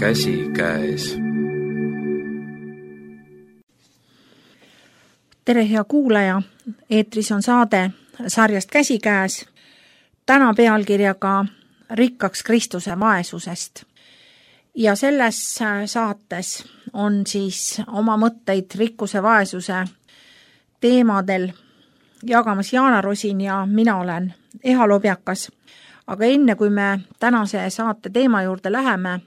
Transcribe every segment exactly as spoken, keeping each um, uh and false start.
käsikäes. Tere, hea kuulaja! Eetris on saade sarjast Käsikäes. Täna pealkirjaga Rikkaks Kristuse vaesusest. Ja selles saates on siis oma mõtteid rikkuse vaesuse teemadel jagamas Jaana Rosin ja mina olen Eha Lobjakas. Aga enne kui me tänase saate teema juurde läheme,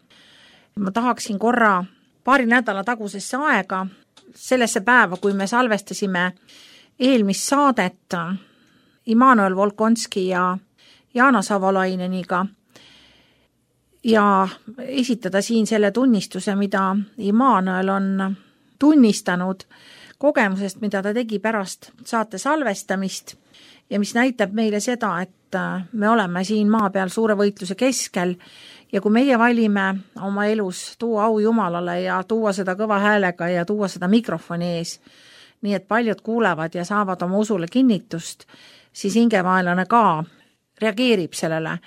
ma tahaksin korra paari nädala tagusesse aega, sellesse päeva, kui me salvestasime eelmist saadet Immanuel Volkonski ja Jaana Savolaineniga ja esitada siin selle tunnistuse, mida Immanuel on tunnistanud kogemusest, mida ta tegi pärast saate salvestamist ja mis näitab meile seda, et me oleme siin maa peal suure võitluse keskel ja kui meie valime oma elus tuua au Jumalale ja tuua seda kõva häälega ja tuua seda mikrofoni ees, nii et paljud kuulevad ja saavad oma usule kinnitust, siis hingevaenlane ka reageerib sellele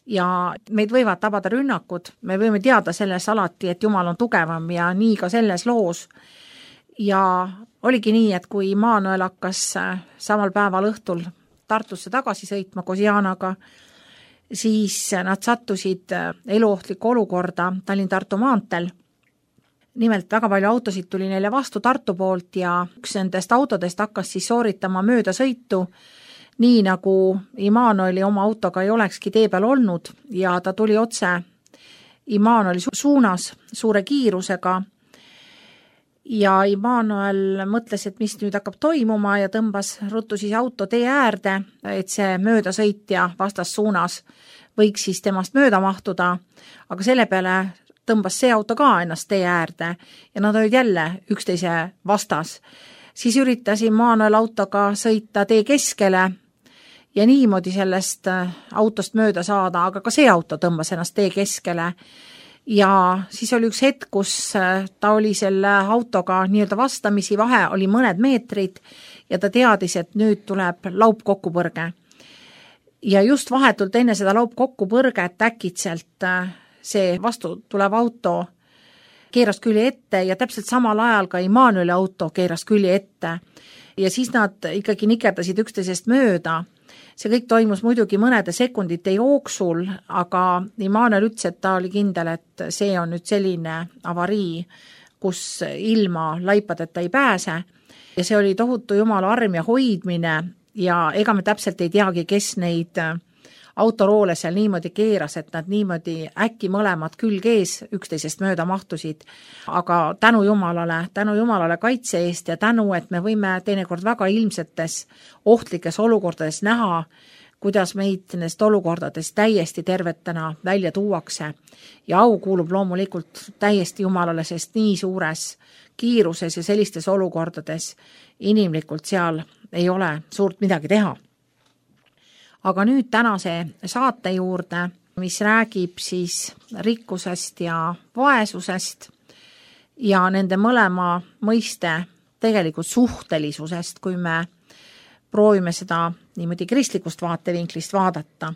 ja meid võivad tabada rünnakud. Me võime teada selles alati, et Jumal on tugevam ja nii ka selles loos. Ja oligi nii, et kui Immanuel hakkas samal päeval õhtul Tartusse tagasi sõitma koos Jaanaga, siis nad sattusid eluohtlikku olukorda Tallinn-Tartu maantel. Nimelt väga palju autosid tuli neile vastu Tartu poolt ja üks nendest autodest hakkas siis sooritama mööda sõitu, nii nagu Immanueli oma autoga ei olekski tee peal olnud ja ta tuli otse Immanueli suunas suure kiirusega. Ja Immanuel mõtles, et mis nüüd hakkab toimuma ja tõmbas ruttu siis auto tee äärde, et see möödasõitja vastas suunas võiks siis temast mööda mahtuda, aga selle peale tõmbas see auto ka ennast tee äärde ja nad olid jälle üksteise vastas. Siis üritas Immanuel autoga sõita tee keskele ja niimoodi sellest autost mööda saada, aga ka see auto tõmbas ennast tee keskele. Ja siis oli üks hetk, kus ta oli selle autoga nii-öelda vastamisi, vahe oli mõned meetrid ja ta teadis, et nüüd tuleb laupkokkupõrge. Ja just vahetult enne seda laupkokkupõrget äkitselt see vastu tulev auto keeras külje ette ja täpselt samal ajal ka Immanueli auto keeras külje ette. Ja siis nad ikkagi nikerdasid üksteisest mööda. See kõik toimus muidugi mõnede sekundite jooksul, aga Immanuel ütles, et ta oli kindel, et see on nüüd selline avarii, kus ilma laipadeta ei pääse. Ja see oli tohutu Jumala arm ja hoidmine ja ega me täpselt ei teagi, kes neid autoroole seal niimoodi keeras, et nad niimoodi äkki mõlemad külg ees üksteisest mööda mahtusid. Aga tänu Jumalale, tänu Jumalale kaitse eest ja tänu, et me võime teinekord väga ilmsetes ohtlikes olukordades näha, kuidas meid nendest olukordades täiesti tervetena välja tuuakse. Ja au kuulub loomulikult täiesti Jumalale, sest nii suures kiiruses ja sellistes olukordades inimlikult seal ei ole suurt midagi teha. Aga nüüd tänase saate juurde, mis räägib siis rikkusest ja vaesusest ja nende mõlema mõiste tegelikult suhtelisusest, kui me proovime seda niimoodi kristlikust vaatevinklist vaadata.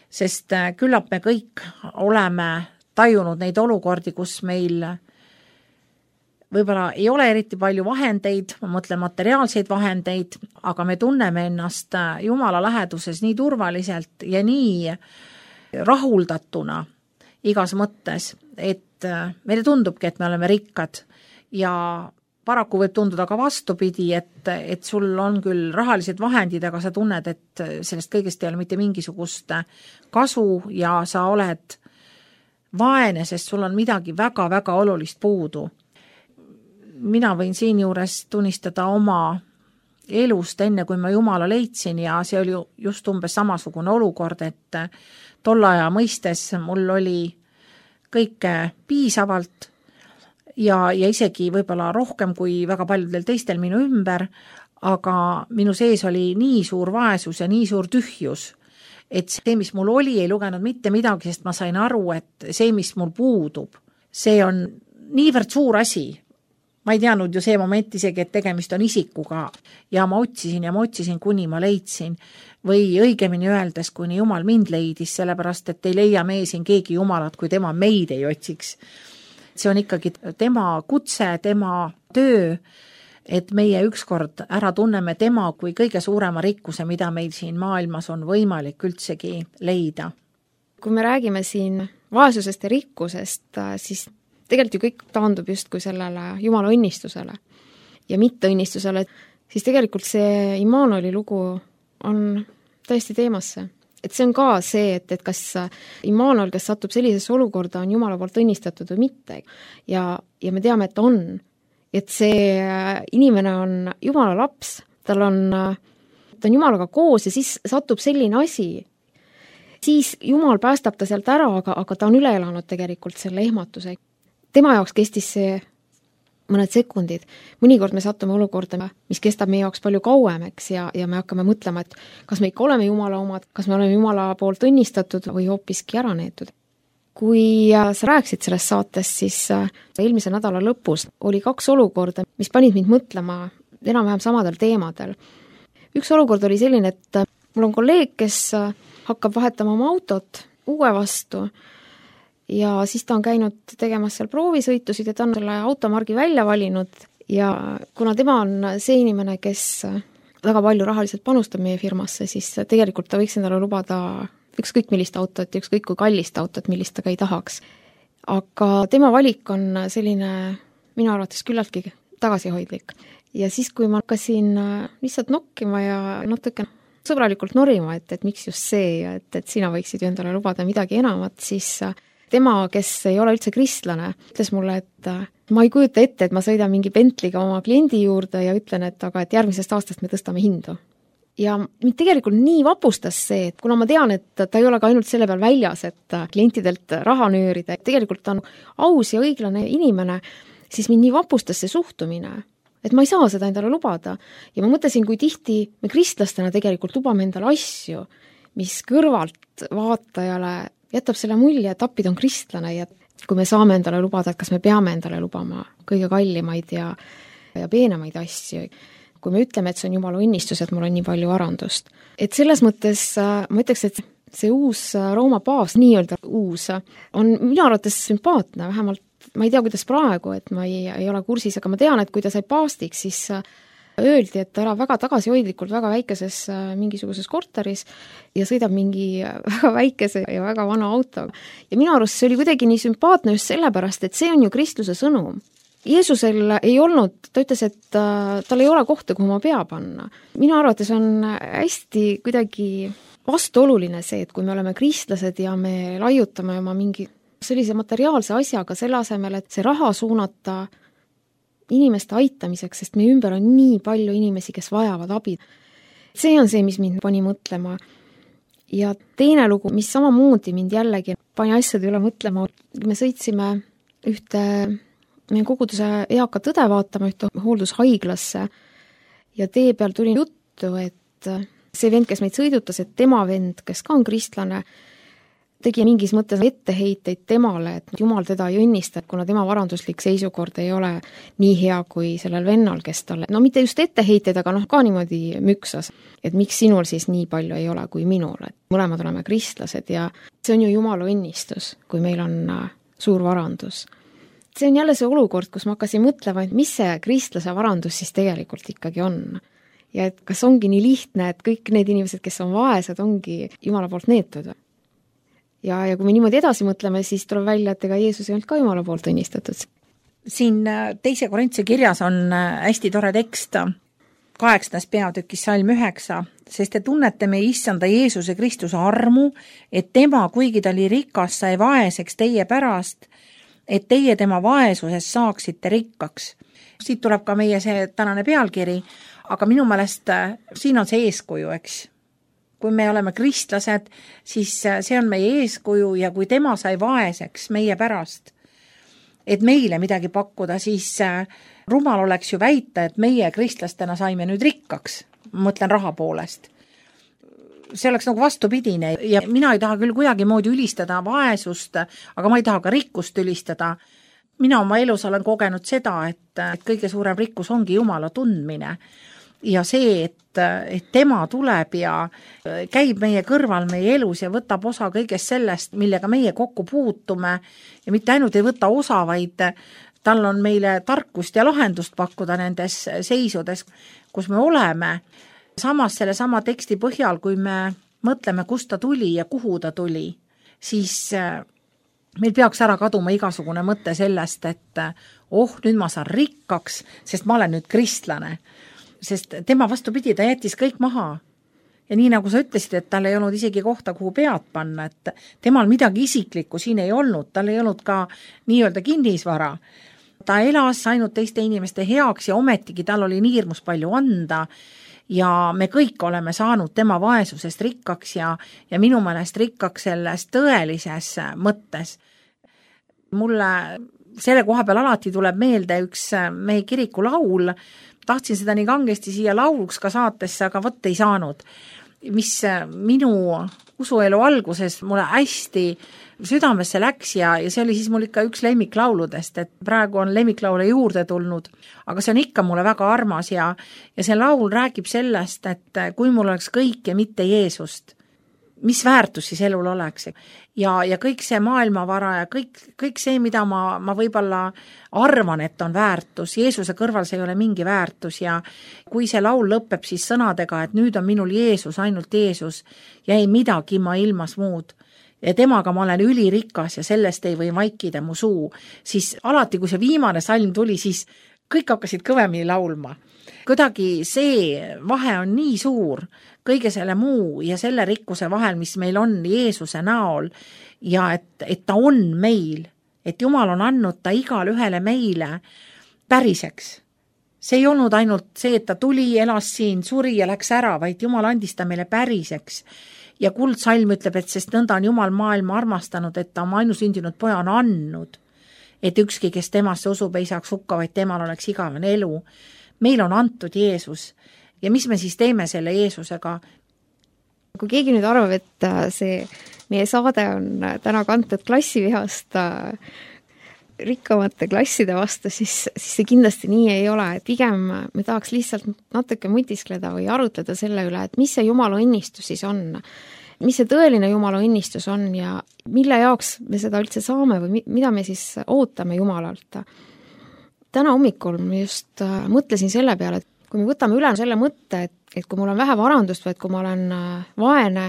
Sest küllap me kõik oleme tajunud neid olukordi, kus meil võib-olla ei ole eriti palju vahendeid, ma mõtlen materiaalseid vahendeid, aga me tunneme ennast Jumala läheduses nii turvaliselt ja nii rahuldatuna igas mõttes, et meile tundubki, et me oleme rikkad ja paraku võib tunduda ka vastupidi, et, et sul on küll rahalised vahendid, aga sa tunned, et sellest kõigest ei ole mitte mingisugust kasu ja sa oled vaene, sest sul on midagi väga-väga olulist puudu. Mina võin siin juures tunnistada oma elust enne, kui ma Jumala leidsin ja see oli just umbes samasugune olukord, et tolle aja mõistes mul oli kõike piisavalt ja, ja isegi võib-olla rohkem kui väga paljudel teistel minu ümber, aga minu sees oli nii suur vaesus ja nii suur tühjus, et see, mis mul oli, ei lugenud mitte midagi, sest ma sain aru, et see, mis mul puudub, see on niivõrd suur asi. Ma ei teadnud ju see moment isegi, et tegemist on isikuga ja ma otsisin ja ma otsisin, kuni ma leidsin või õigemini öeldes, kuni Jumal mind leidis, sellepärast, et ei leia meie siin keegi Jumalat, kui tema meid ei otsiks. see on ikkagi tema kutse, tema töö, et meie ükskord ära tunneme tema kui kõige suurema rikkuse, mida meil siin maailmas on võimalik üldsegi leida. Kui me räägime siin vaesusest ja rikkusest, siis tegelikult ju kõik taandub justkui sellele Jumala õnnistusele ja mitte õnnistusele, siis tegelikult see Immanueli lugu on täiesti teemasse. Et see on ka see, et, et kas Immanuel, kes satub sellisesse olukorda, on Jumala poolt õnnistatud või mitte. Ja, ja me teame, et on. Et see inimene on Jumala laps, tal on, ta on Jumalaga koos ja siis satub selline asi. Siis Jumal päästab ta sealt ära, aga, aga ta on üle elanud tegelikult selle ehmatuse. Tema jaoks kestis see mõned sekundid. Mõnikord me sattume olukorda, mis kestab meie jaoks palju kauemaks ja, ja me hakkame mõtlema, et kas me ikka oleme Jumala omad, kas me oleme Jumala poolt õnnistatud või hoopiski ära neetud. Kui sa rääkisid sellest saatest, siis eelmise nädala lõpus oli kaks olukorda, mis panid mind mõtlema enam-vähem samadel teemadel. Üks olukord oli selline, et mul on kolleeg, kes hakkab vahetama oma autot uue vastu ja siis ta on käinud tegemas seal proovisõitusid ja ta on selle automargi välja valinud ja kuna tema on see inimene, kes väga palju rahaliselt panustab meie firmasse, siis tegelikult ta võiks endale lubada ükskõik millist autot ja ükskõik kui kallist autot, millist ta ka ei tahaks. Aga tema valik on selline minu arvates küllaltki tagasihoidlik. Ja siis, kui ma hakkasin lihtsalt nokkima ja natuke sõbralikult norima, et, et miks just see ja et, et sina võiksid ju endale lubada midagi enamat, siis tema, kes ei ole üldse kristlane, ütles mulle, et ma ei kujuta ette, et ma sõidan mingi Bentley'ga oma kliendi juurde ja ütlen, et aga et järgmisest aastast me tõstame hindu. Ja mind tegelikult nii vapustas see, et kuna ma tean, et ta ei ole ka ainult selle peal väljas, et klientidelt raha nöörida, et tegelikult ta on aus ja õiglane inimene, siis mind nii vapustas see suhtumine, et ma ei saa seda endale lubada. Ja ma mõtlesin, kui tihti me kristlastena tegelikult lubame endale asju, mis kõrvalt vaatajale jätab selle mulje, et appid on kristlane ja kui me saame endale lubada, et kas me peame endale lubama kõige kallimaid ja, ja peenemaid asju. Kui me ütleme, et see on Jumala õnnistus, et mul on nii palju varandust. Et selles mõttes ma ütleks, et see uus Rooma paavs, nii-öelda uus, on minu arvates sümpaatne, vähemalt ma ei tea, kuidas praegu, et ma ei, ei ole kursis, aga ma tean, et kui ta sai paastiks, siis öeldi, et ta elab väga tagasihoidlikult väga väikeses mingisuguses korteris ja sõidab mingi väga väikese ja väga vana auto. Ja minu arust see oli kuidagi nii sümpaatne just sellepärast, et see on ju Kristuse sõnum. Jeesusel ei olnud, ta ütles, et tal ei ole kohta, kuhu ma pea panna. Minu arvates on hästi kuidagi vastuoluline see, et kui me oleme kristlased ja me laiutame oma mingi sellise materiaalse asjaga selle asemel, et see raha suunata inimeste aitamiseks, sest meie ümber on nii palju inimesi, kes vajavad abi. See on see, mis mind pani mõtlema. Ja teine lugu, mis samamoodi mind jällegi pani asjade üle mõtlema, me sõitsime ühte meie koguduse eaka tõde vaatama ühte hooldushaiglasse ja tee peal tuli juttu, et see vend, kes meid sõidutas, et tema vend, kes ka on kristlane, tegi mingis mõttes etteheiteid temale, et Jumal teda ei õnnista, kuna tema varanduslik seisukord ei ole nii hea kui sellel vennal, kes talle, no mitte just etteheiteid, aga noh, ka niimoodi müksas, et miks sinul siis nii palju ei ole kui minul, et mõlemad oleme kristlased ja see on ju Jumala õnnistus, kui meil on suur varandus. See on jälle see olukord, kus ma hakkasin mõtlema, et mis see kristlase varandus siis tegelikult ikkagi on. Ja et kas ongi nii lihtne, et kõik need inimesed, kes on vaesed, ongi Jumala poolt neetud. Ja, ja kui me niimoodi edasi mõtleme, siis tuleb välja, et ega Jeesus ei olnud ka Jumala poolt õnnistatud. Siin teise Korintuse kirjas on hästi tore tekst, kaheksandas peatükis salm üheksa, sest te tunnete meie issanda Jeesuse Kristuse armu, et tema, kuigi ta oli rikas, sai vaeseks teie pärast, et teie tema vaesuses saaksite rikkaks. Siit tuleb ka meie see tänane pealkiri, aga minu meelest siin on see eeskuju, eks. Kui me oleme kristlased, siis see on meie eeskuju ja kui tema sai vaeseks meie pärast, et meile midagi pakkuda, siis rumal oleks ju väita, et meie kristlastena saime nüüd rikkaks, mõtlen raha poolest. See oleks nagu vastupidine ja mina ei taha küll kuidagi moodi ülistada vaesust, aga ma ei taha ka rikkust ülistada. Mina oma elus olen kogenud seda, et kõige suurem rikkus ongi Jumala tundmine. ja see, et, et tema tuleb ja käib meie kõrval meie elus ja võtab osa kõigest sellest, millega meie kokku puutume ja mitte ainult ei võta osa, vaid tal on meile tarkust ja lahendust pakkuda nendes seisudes, kus me oleme. Samas selle sama teksti põhjal, kui me mõtleme, kust ta tuli ja kuhu ta tuli, siis meil peaks ära kaduma igasugune mõte sellest, et oh, nüüd ma saan rikkaks, sest ma olen nüüd kristlane. Sest tema vastupidi, ta jättis kõik maha. Ja nii nagu sa ütlesid, et tal ei olnud isegi kohta, kuhu pead panna, et temal midagi isiklikku siin ei olnud, tal ei olnud ka nii-öelda kinnisvara. Ta elas ainult teiste inimeste heaks ja ometigi tal oli nii hirmus palju anda ja me kõik oleme saanud tema vaesusest rikkaks ja, ja minu meelest rikkaks selles tõelises mõttes. Mulle selle koha peal alati tuleb meelde üks meie kiriku laul, tahtsin seda nii kangesti siia lauluks ka saatesse, aga võtta ei saanud, mis minu usuelu alguses mulle hästi südamesse läks ja, ja see oli siis mul ikka üks lemmiklauludest, et praegu on lemmiklaule juurde tulnud, aga see on ikka mulle väga armas ja, ja see laul räägib sellest, et kui mul oleks kõik ja mitte Jeesust, mis väärtus siis elul oleks. Ja, ja kõik see maailmavara ja kõik, kõik see, mida ma, ma võib-olla arvan, et on väärtus, Jeesuse kõrval see ei ole mingi väärtus ja kui see laul lõpeb siis sõnadega, et nüüd on minul Jeesus, ainult Jeesus ja ei midagi ma ilmas muud ja temaga ma olen ülirikas ja sellest ei või vaikida mu suu, siis alati, kui see viimane salm tuli, siis kõik hakkasid kõvemini laulma. Kuidagi see vahe on nii suur kõige selle muu ja selle rikkuse vahel, mis meil on Jeesuse näol ja et, et ta on meil, et Jumal on andnud ta igale ühele meile päriseks. See ei olnud ainult see, et ta tuli, elas siin, suri ja läks ära, vaid Jumal andis ta meile päriseks. Ja kuldsalm ütleb, et sest nõnda on Jumal maailma armastanud, et ta oma ainusündinud poja on andnud, et ükski, kes temasse usub, ei saaks hukka, vaid temal oleks igavene elu. Meil on antud Jeesus ja mis me siis teeme selle Jeesusega? Kui keegi nüüd arvab, et see meie saade on täna kantud klassivihast rikkamate klasside vastu, siis, siis see kindlasti nii ei ole, et pigem me tahaks lihtsalt natuke mõtiskleda või arutleda selle üle, et mis see Jumala õnnistus siis on, mis see tõeline Jumala õnnistus on ja mille jaoks me seda üldse saame või mida me siis ootame Jumalalt. Täna hommikul ma just mõtlesin selle peale, et kui me võtame üle selle mõtte, et, et kui mul on vähe varandust või et kui ma olen vaene,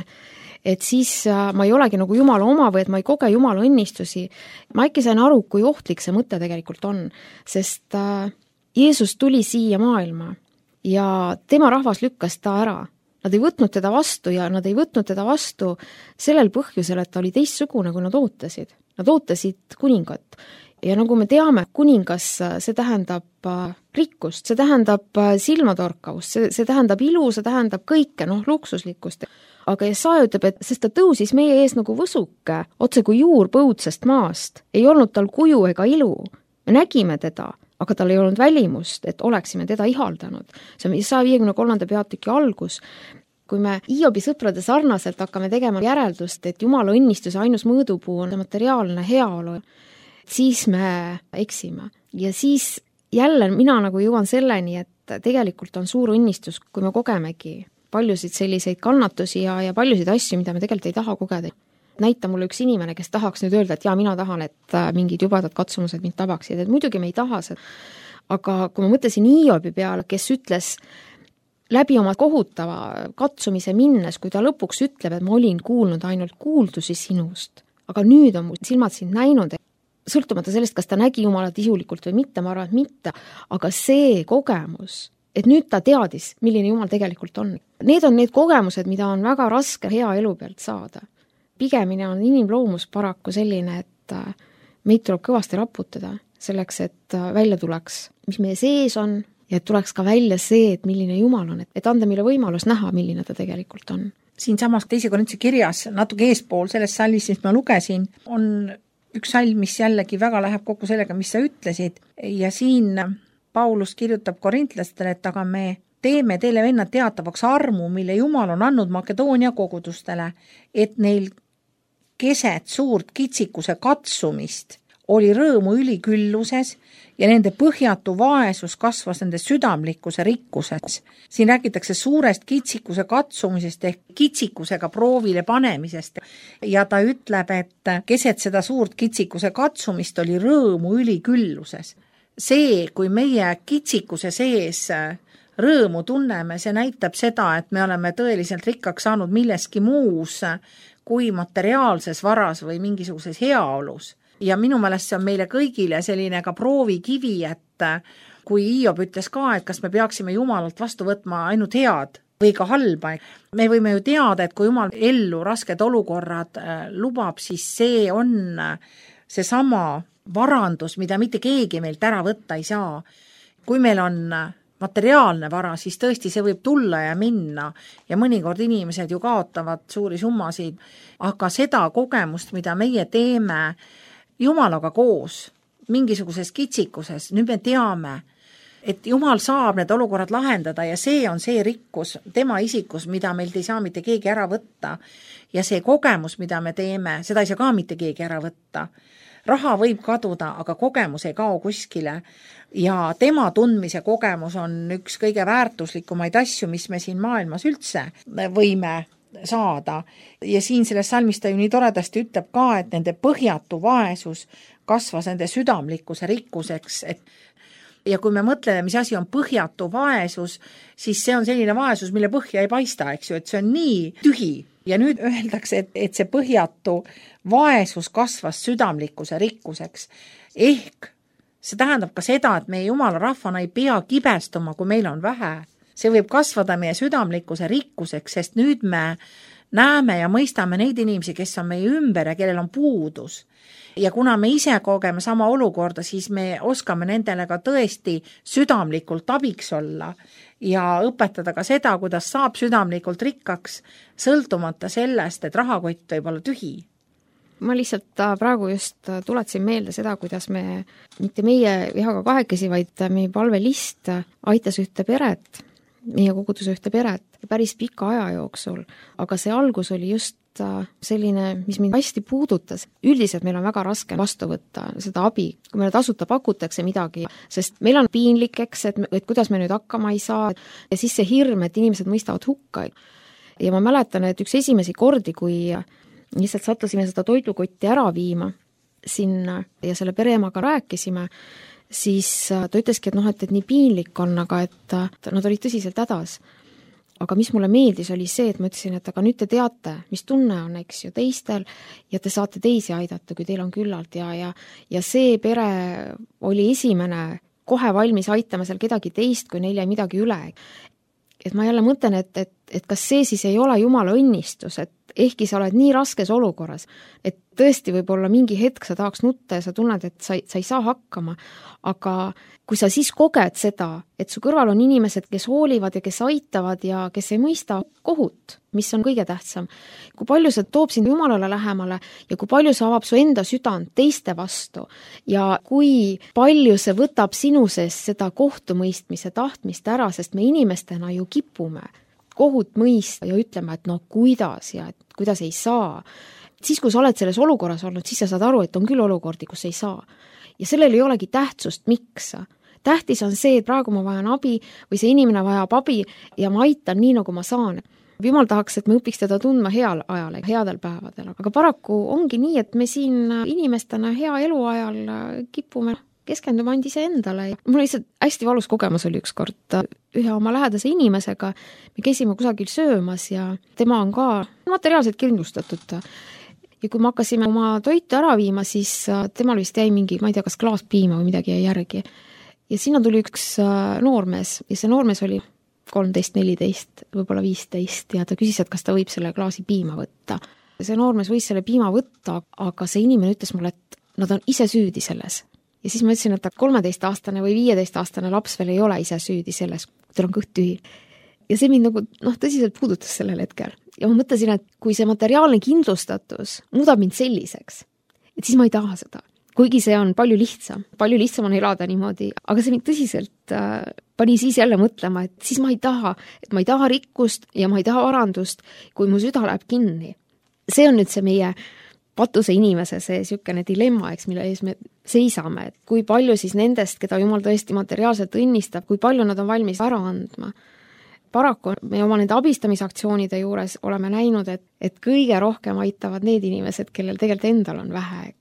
et siis ma ei olegi nagu Jumala oma või et ma ei koge Jumala õnnistusi. Ma äkki sain aru, kui ohtlik see mõte tegelikult on, sest Jeesus tuli siia maailma ja tema rahvas lükkas ta ära. Nad ei võtnud teda vastu ja nad ei võtnud teda vastu sellel põhjusel, et ta oli teistsugune, kui nad ootasid. Nad ootasid kuningat. Ja nagu me teame, kuningas, see tähendab rikkust, see tähendab silmatorkavust, see, see tähendab ilu, see tähendab kõike, noh, luksuslikkust. Aga Jesaja ütleb, et sest ta tõusis meie ees nagu võsuke, otse kui juur põudsest maast. Ei olnud tal kuju ega ilu. Me nägime teda, aga tal ei olnud välimust, et oleksime teda ihaldanud. See on Jesaja viiekümne kolmanda peatüki algus. Kui me Hiobi sõprade sarnaselt hakkame tegema järeldust, et Jumala õnnistuse ainus mõõdupuu on materiaalne heaolu, siis me eksime. Ja siis jälle mina nagu jõuan selleni, et tegelikult on suur õnnistus, kui me kogemegi paljusid selliseid kannatusi ja, ja paljusid asju, mida me tegelikult ei taha kogeda. Näita mulle üks inimene, kes tahaks nüüd öelda, et jaa, mina tahan, et mingid jubedad katsumused mind tabaksid, et muidugi me ei taha seda. Aga kui ma mõtlesin Hiobi peale, kes ütles läbi oma kohutava katsumise minnes, kui ta lõpuks ütleb, et ma olin kuulnud ainult kuuldusi sinust, aga nüüd on mu silmad sind näinud, sõltumata sellest, kas ta nägi Jumalat isulikult või mitte, ma arvan, et mitte, aga see kogemus, et nüüd ta teadis, milline Jumal tegelikult on. Need on need kogemused, mida on väga raske hea elu pealt saada. Pigemini on inimloomus paraku selline, et meid tuleb kõvasti raputada selleks, et välja tuleks, mis meie sees on ja et tuleks ka välja see, et milline Jumal on, et anda meile võimalus näha, milline ta tegelikult on. Siin samas teise Korintuse kirjas, natuke eespool selles sallis, mis ma lugesin, on üks salm, mis jällegi väga läheb kokku sellega, mis sa ütlesid ja siin Paulus kirjutab korintlastele, et aga me teeme teile vennad teatavaks armu, mille Jumal on andnud Makedoonia kogudustele, et neil keset suurt kitsikuse katsumist oli rõõmu ülikülluses ja nende põhjatu vaesus kasvas nende südamlikkuse rikkuseks. Siin räägitakse suurest kitsikuse katsumisest ehk kitsikusega proovile panemisest ja ta ütleb, et keset seda suurt kitsikuse katsumist oli rõõmu ülikülluses. See, kui meie kitsikuse sees rõõmu tunneme, see näitab seda, et me oleme tõeliselt rikkaks saanud milleski muus kui materiaalses varas või mingisuguses heaolus. Ja minu meelest see on meile kõigile selline ka proovikivi, et kui Hiob ütles ka, et kas me peaksime Jumalalt vastu võtma ainult head või ka halba. Me võime ju teada, et kui Jumal ellu rasked olukorrad lubab, siis see on seesama varandus, mida mitte keegi meilt ära võtta ei saa. Kui meil on materiaalne vara, siis tõesti see võib tulla ja minna ja mõnikord inimesed ju kaotavad suuri summasid, aga seda kogemust, mida meie teeme Jumalaga koos, mingisuguses kitsikuses, nüüd me teame, et Jumal saab need olukorrad lahendada ja see on see rikkus tema isikus, mida meilt ei saa mitte keegi ära võtta ja see kogemus, mida me teeme, seda ei saa ka mitte keegi ära võtta. Raha võib kaduda, aga kogemus ei kao kuskile ja tema tundmise kogemus on üks kõige väärtuslikumaid asju, mis me siin maailmas üldse võime saada. Ja siin selles salmis ta ju nii toredasti ütleb ka, et nende põhjatu vaesus kasvas nende südamlikkuse rikkuseks, et ja kui me mõtleme, mis asi on põhjatu vaesus, siis see on selline vaesus, mille põhja ei paista, eks ju, et see on nii tühi. Ja nüüd öeldakse, et, et see põhjatu vaesus kasvas südamlikkuse rikkuseks. Ehk see tähendab ka seda, et meie Jumala rahvana ei pea kibestuma, kui meil on vähe. See võib kasvada meie südamlikkuse rikkuseks, sest nüüd me näeme ja mõistame neid inimesi, kes on meie ümber ja kellel on puudus. Ja kuna me ise kogeme sama olukorda, siis me oskame nendele ka tõesti südamlikult abiks olla ja õpetada ka seda, kuidas saab südamlikult rikkaks, sõltumata sellest, et rahakott võib olla tühi. Ma lihtsalt praegu just tuletsin meelde seda, kuidas me, mitte meie Vihaga kahekesi, vaid meie palvelist aitas ühte peret, meie koguduse ühte peret päris pika aja jooksul, aga see algus oli just selline, mis mind hästi puudutas. Üldiselt meil on väga raske vastu võtta seda abi, kui meile tasuta pakutakse midagi, sest meil on piinlik, eks, et, et kuidas me nüüd hakkama ei saa ja siis see hirm, et inimesed mõistavad hukka. Ja ma mäletan, et üks esimesi kordi, kui lihtsalt sattusime seda toidukotti ära viima sinna ja selle pereemaga rääkisime, siis ta ütleski, et noh, et, et nii piinlik on, aga et nad olid tõsiselt hädas. Aga mis mulle meeldis, oli see, et ma ütlesin, et aga nüüd te teate, mis tunne on, eks ju, teistel ja te saate teisi aidata, kui teil on küllalt ja, ja, ja see pere oli esimene kohe valmis aitama seal kedagi teist, kui neil jäi midagi üle. Et ma jälle mõtlen, et, et, et kas see siis ei ole Jumala õnnistus, et ehkki sa oled nii raskes olukorras, et tõesti võib-olla mingi hetk sa tahaks nutta ja sa tunned, et sa, sa ei saa hakkama, aga kui sa siis koged seda, et su kõrval on inimesed, kes hoolivad ja kes aitavad ja kes ei mõista kohut, mis on kõige tähtsam, kui palju see toob sind Jumalale lähemale ja kui palju see avab su enda südant teiste vastu ja kui palju see võtab sinu sees seda kohtumõistmise tahtmist ära, sest me inimestena ju kipume kohut mõista ja ütlema, et no kuidas ja et kuidas ei saa. Siis, kui sa oled selles olukorras olnud, siis sa saad aru, et on küll olukordi, kus ei saa. Ja sellel ei olegi tähtsust, miks. Tähtis on see, et praegu ma vajan abi või see inimene vajab abi ja ma aitan nii, nagu ma saan. Jumal tahaks, et me õpiks teda tundma heal ajal, headel päevadel. Aga paraku ongi nii, et me siin inimestena hea eluajal kipume keskenduma andi see endale. Mul lihtsalt hästi valus kogemus oli üks kord ühe oma lähedase inimesega. Me käisime kusagil söömas ja tema on ka materiaalselt kindlustatud. Ja kui me hakkasime oma toitu ära viima, siis temal vist jäi mingi, ma ei tea, kas klaas piima või midagi jäi järgi. Ja sinna tuli üks noormees ja see noormees oli kolmteist, neliteist, võib-olla viisteist ja ta küsis, et kas ta võib selle klaasi piima võtta. See noormees võis selle piima võtta, aga see inimene ütles mulle, et nad on ise süüdi selles. Ja siis ma ütlesin, et kolmeteistaastane või viieteistaastane laps veel ei ole ise süüdi selles, teil on kõht tühi. Ja see mind nagu noh, tõsiselt puudutas sellel hetkel. Ja ma mõtlesin, et kui see materiaalne kindlustatus muudab mind selliseks, et siis ma ei taha seda. Kuigi see on palju lihtsam, palju lihtsam on elada niimoodi, aga see mind tõsiselt äh, pani siis jälle mõtlema, et siis ma ei taha, et ma ei taha rikkust ja ma ei taha varandust, kui mu süda läheb kinni. See on nüüd see meie patuse inimese see niisugune dilemma, eks, mille ees me seisame, et kui palju siis nendest, keda Jumal tõesti materiaalselt õnnistab, kui palju nad on valmis ära andma. Paraku me oma nende abistamisaktsioonide juures oleme näinud, et, et kõige rohkem aitavad need inimesed, kellel tegelikult endal on vähe.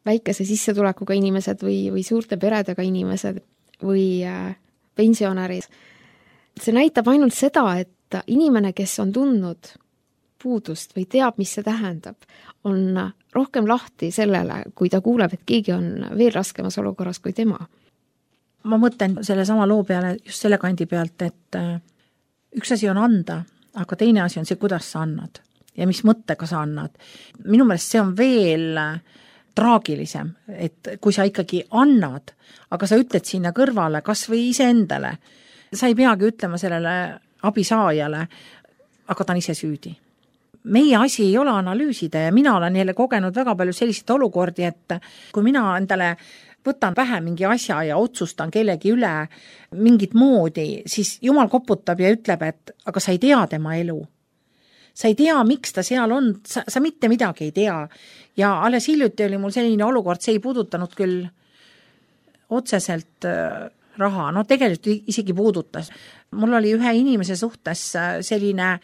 Väikese sissetulekuga inimesed või, või suurte peredega inimesed või äh, pensionärid. See näitab ainult seda, et inimene, kes on tundnud puudust või teab, mis see tähendab, on rohkem lahti sellele, kui ta kuuleb, et keegi on veel raskemas olukorras kui tema. Ma mõtlen selle sama loo peale just selle kandi pealt, et üks asi on anda, aga teine asi on see, kuidas sa annad ja mis mõttega sa annad. Minu meelest see on veel traagilisem, et kui sa ikkagi annad, aga sa ütled sinna kõrvale, kas või iseendale, sa ei peagi ütlema sellele abisaajale, aga ta on ise süüdi. Meie asi ei ole analüüsida ja mina olen jälle kogenud väga palju selliseid olukordi, et kui mina endale võtan pähe mingi asja ja otsustan kellegi üle mingit moodi, siis Jumal koputab ja ütleb, et aga sa ei tea tema elu. Sa ei tea, miks ta seal on, sa, sa mitte midagi ei tea. Ja alles hiljuti oli mul selline olukord, see ei puudutanud küll otseselt raha, no tegelikult isegi puudutas. Mul oli ühe inimese suhtes selline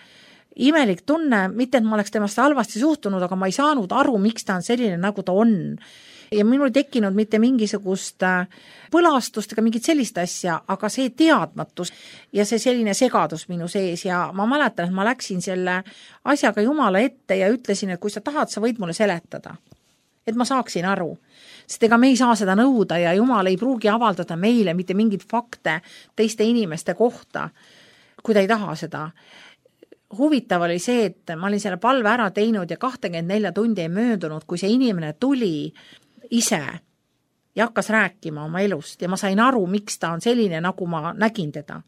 imelik tunne, mitte et ma oleks temast halvasti suhtunud, aga ma ei saanud aru, miks ta on selline, nagu ta on. Ja minul ei tekkinud mitte mingisugust põlastust ega mingit sellist asja, aga see teadmatus ja see selline segadus minu sees ja ma mäletan, et ma läksin selle asjaga Jumala ette ja ütlesin, et kui sa tahad, sa võid mulle seletada, et ma saaksin aru. Sest ega me ei saa seda nõuda ja Jumal ei pruugi avaldada meile mitte mingit fakte teiste inimeste kohta, kui ta ei taha seda. Huvitav oli see, et ma olin selle palve ära teinud ja kakskümmend neli tundi ei möödunud, kui see inimene tuli ise ja hakkas rääkima oma elust ja ma sain aru, miks ta on selline, nagu ma nägin teda.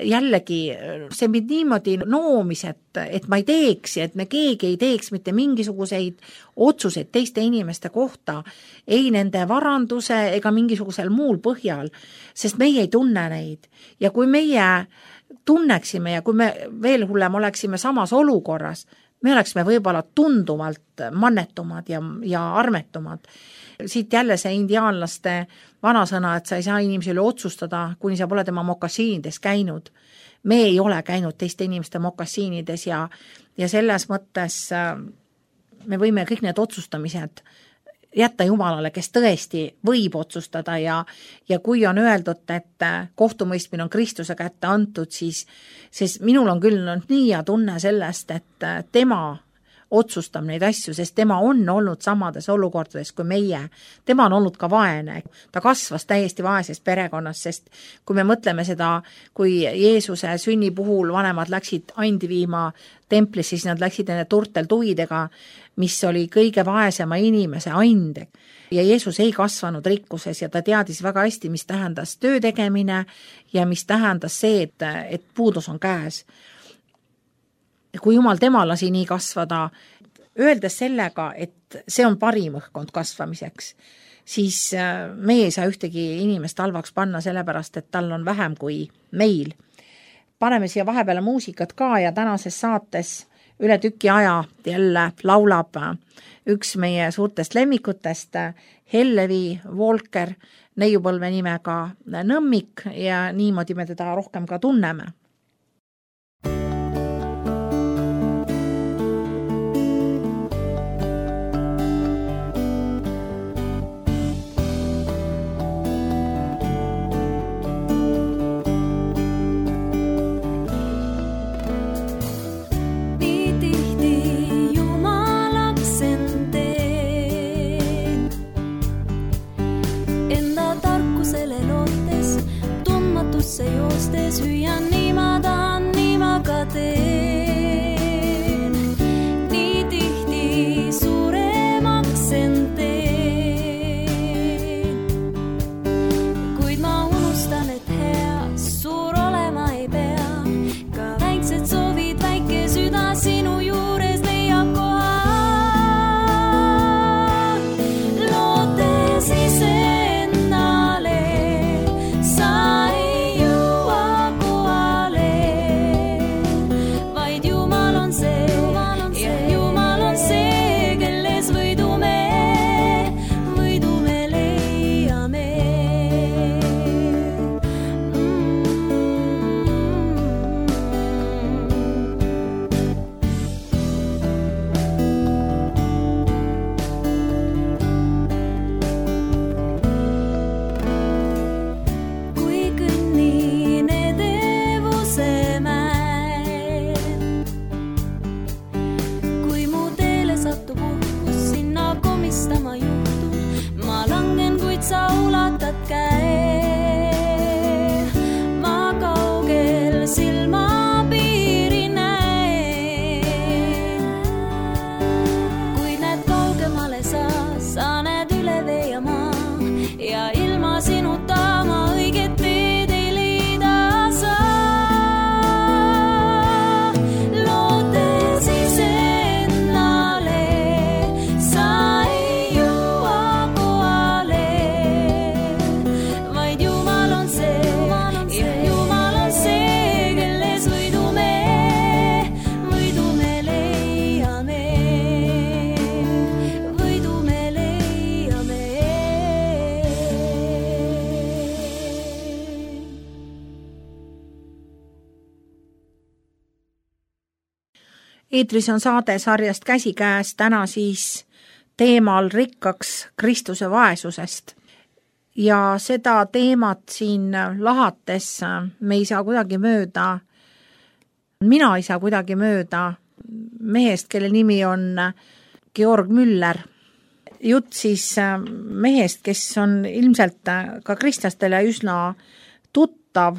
Jällegi, see mind niimoodi noomis, et, et ma ei teeks ja et me keegi ei teeks mitte mingisuguseid otsuseid teiste inimeste kohta, ei nende varanduse ega mingisugusel muul põhjal, sest meie ei tunne neid. Ja kui meie tunneksime ja kui me veel hullem oleksime samas olukorras, me oleksime võib-olla tunduvalt mannetumad ja, ja armetumad. Siit jälle see indiaanlaste vanasõna, et sa ei saa inimese üle otsustada, kuni sa pole tema mokassiinides käinud. Me ei ole käinud teiste inimeste mokassiinides ja, ja selles mõttes me võime kõik need otsustamised jätta Jumalale, kes tõesti võib otsustada ja, ja kui on öeldud, et kohtumõistmine on Kristuse kätte antud, siis, siis minul on küll nii ja tunne sellest, et tema otsustab neid asju, sest tema on olnud samades olukordades kui meie. Tema on olnud ka vaene. Ta kasvas täiesti vaeses perekonnas, sest kui me mõtleme seda, kui Jeesuse sünni puhul vanemad läksid andi viima templisse, siis nad läksid nende turtel tuvidega, mis oli kõige vaesema inimese and. Ja Jeesus ei kasvanud rikkuses ja ta teadis väga hästi, mis tähendas töö tegemine ja mis tähendas see, et, et puudus on käes. Kui Jumal tema lasi nii kasvada, öeldes sellega, et see on parim õhkkond kasvamiseks, siis meie ei saa ühtegi inimest halvaks panna sellepärast, et tal on vähem kui meil. Paneme siia vahepeale muusikat ka ja tänases saates üle tüki aja jälle laulab üks meie suurtest lemmikutest, Hellevi Volker, neiupõlve nimega Nõmmik ja niimoodi me teda rohkem ka tunneme. Se joostes hüüan niima eetris on saade sarjast Käsikäes, täna siis teemal rikkaks Kristuse vaesusest. Ja seda teemat siin lahates me ei saa kuidagi mööda, mina ei saa kuidagi mööda mehest, kelle nimi on Georg Müller. Jutt siis mehest, kes on ilmselt ka kristlastele üsna tuttav.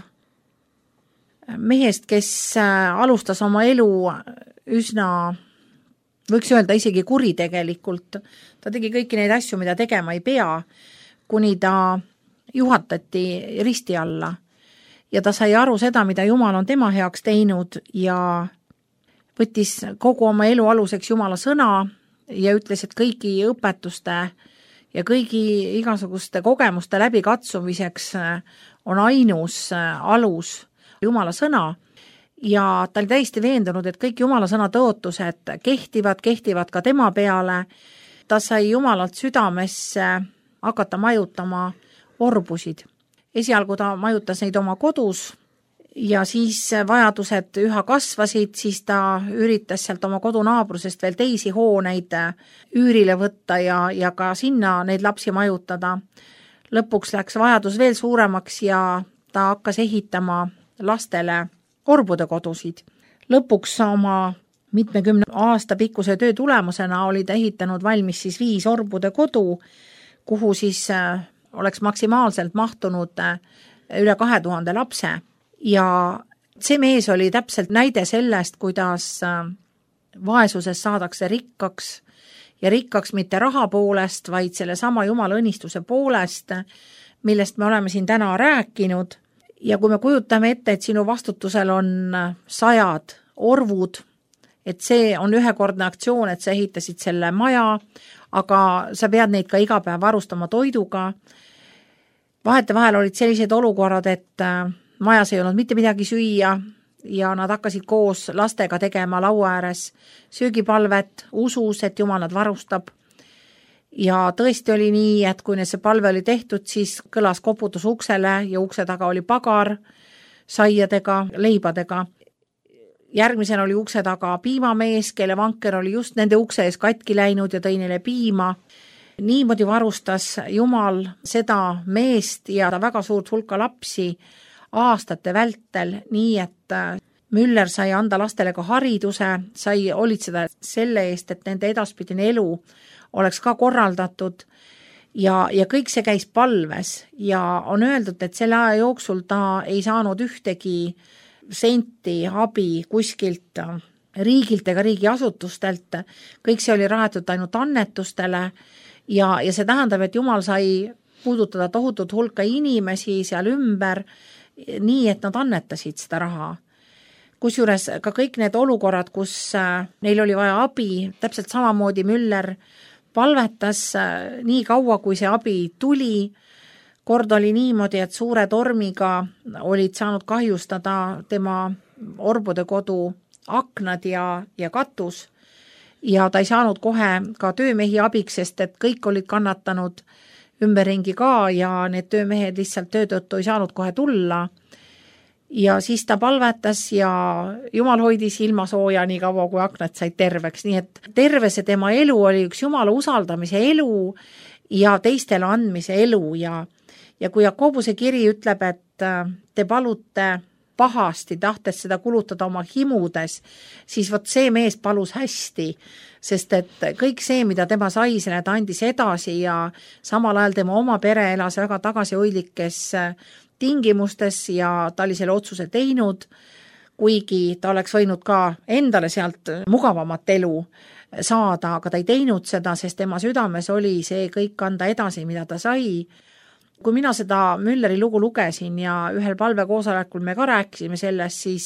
Mehest, kes alustas oma elu üsna, võiks öelda isegi kuritegelikult. Ta tegi kõiki neid asju, mida tegema ei pea, kuni ta juhatati risti alla. Ja ta sai aru seda, mida Jumal on tema heaks teinud ja võttis kogu oma elu aluseks Jumala sõna ja ütles, et kõigi õpetuste ja kõigi igasuguste kogemuste läbikatsumiseks on ainus alus Jumala sõna. Ja ta oli täiesti veendunud, et kõik Jumala sõna tõotused kehtivad, kehtivad ka tema peale. Ta sai Jumalalt südamesse hakata majutama orbusid. Esialgu ta majutas neid oma kodus ja siis vajadused üha kasvasid, siis ta üritas sealt oma kodunaabrusest veel teisi hooneid üürile võtta ja, ja ka sinna neid lapsi majutada. Lõpuks läks vajadus veel suuremaks ja ta hakkas ehitama lastele orbude kodusid. Lõpuks oma mitmekümne aasta pikkuse töö tulemusena oli ta ehitanud valmis siis viis orbude kodu, kuhu siis oleks maksimaalselt mahtunud üle kahe tuhande lapse. Ja see mees oli täpselt näide sellest, kuidas vaesuses saadakse rikkaks ja rikkaks mitte raha poolest, vaid selle sama Jumala õnnistuse poolest, millest me oleme siin täna rääkinud. Ja kui me kujutame ette, et sinu vastutusel on sajad orvud, et see on ühekordne aktsioon, et sa ehitasid selle maja, aga sa pead neid ka iga päev varustama toiduga. Vahete vahel olid sellised olukorrad, et majas ei olnud mitte midagi süüa ja nad hakkasid koos lastega tegema laua ääres söögipalvet, usus, et Jumal nad varustab. Ja tõesti oli nii, et kui see palve oli tehtud, siis kõlas koputus uksele ja ukse taga oli pagar saiadega, leibadega. Järgmisena oli ukse taga piimamees, kelle vanker oli just nende ukse ees katki läinud ja tõi neile piima. Niimoodi varustas Jumal seda meest ja väga suurt hulka lapsi aastate vältel, nii et Müller sai anda lastele ka hariduse, sai hoolitseda selle eest, et nende edaspidine elu oleks ka korraldatud ja, ja kõik see käis palves ja on öeldud, et selle aja jooksul ta ei saanud ühtegi senti abi kuskilt riigilt ega riigiasutustelt, kõik see oli rahatud ainult annetustele ja, ja see tähendab, et Jumal sai puudutada tohutut hulka inimesi seal ümber, nii et nad annetasid seda raha. Kusjuures ka kõik need olukorrad, kus neil oli vaja abi, täpselt samamoodi Müller palvetas nii kaua, kui see abi tuli. Kord oli niimoodi, et suure tormiga olid saanud kahjustada tema orbude kodu aknad ja, ja katus ja ta ei saanud kohe ka töömehi abiks, sest et kõik olid kannatanud ümberringi ka ja need töömehed lihtsalt töö tõttu ei saanud kohe tulla. Ja siis ta palvetas ja Jumal hoidis ilma sooja nii kaua, kui aknad said terveks. Nii et terve see tema elu oli üks Jumala usaldamise elu ja teistele andmise elu ja Ja kui Jakobuse kiri ütleb, et te palute pahasti, tahtes seda kulutada oma himudes, siis vot see mees palus hästi, sest et kõik see, mida tema sai, selle ta andis edasi ja samal ajal tema oma pere elas väga tagasihoidlikes tingimustes ja ta oli selle otsuse teinud, kuigi ta oleks võinud ka endale sealt mugavamat elu saada, aga ta ei teinud seda, sest tema südames oli see kõik anda edasi, mida ta sai. Kui mina seda Mülleri lugu lugesin ja ühel palvekoosolekul me ka rääkisime sellest, siis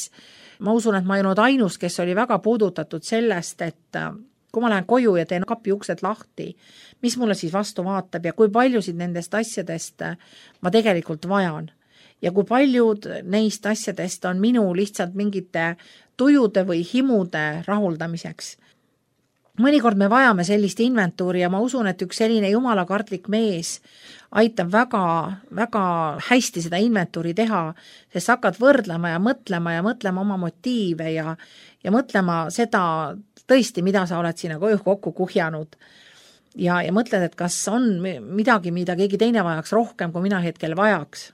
ma usun, et ma ei olnud ainus, kes oli väga puudutatud sellest, et kui ma lähen koju ja teen kapi uksed lahti, mis mulle siis vastu vaatab ja kui paljusid nendest asjadest ma tegelikult vajan. Ja kui paljud neist asjadest on minu lihtsalt mingite tujude või himude rahuldamiseks. mõnikord me vajame sellist inventuuri ja ma usun, et üks selline jumalakartlik mees aitab väga, väga hästi seda inventuuri teha, sest hakkad võrdlema ja mõtlema ja mõtlema oma motiive ja, ja mõtlema seda tõesti, mida sa oled sinna koju kokku kuhjanud. Ja, ja mõtled, et kas on midagi, mida keegi teine vajaks rohkem, kui mina hetkel vajaks.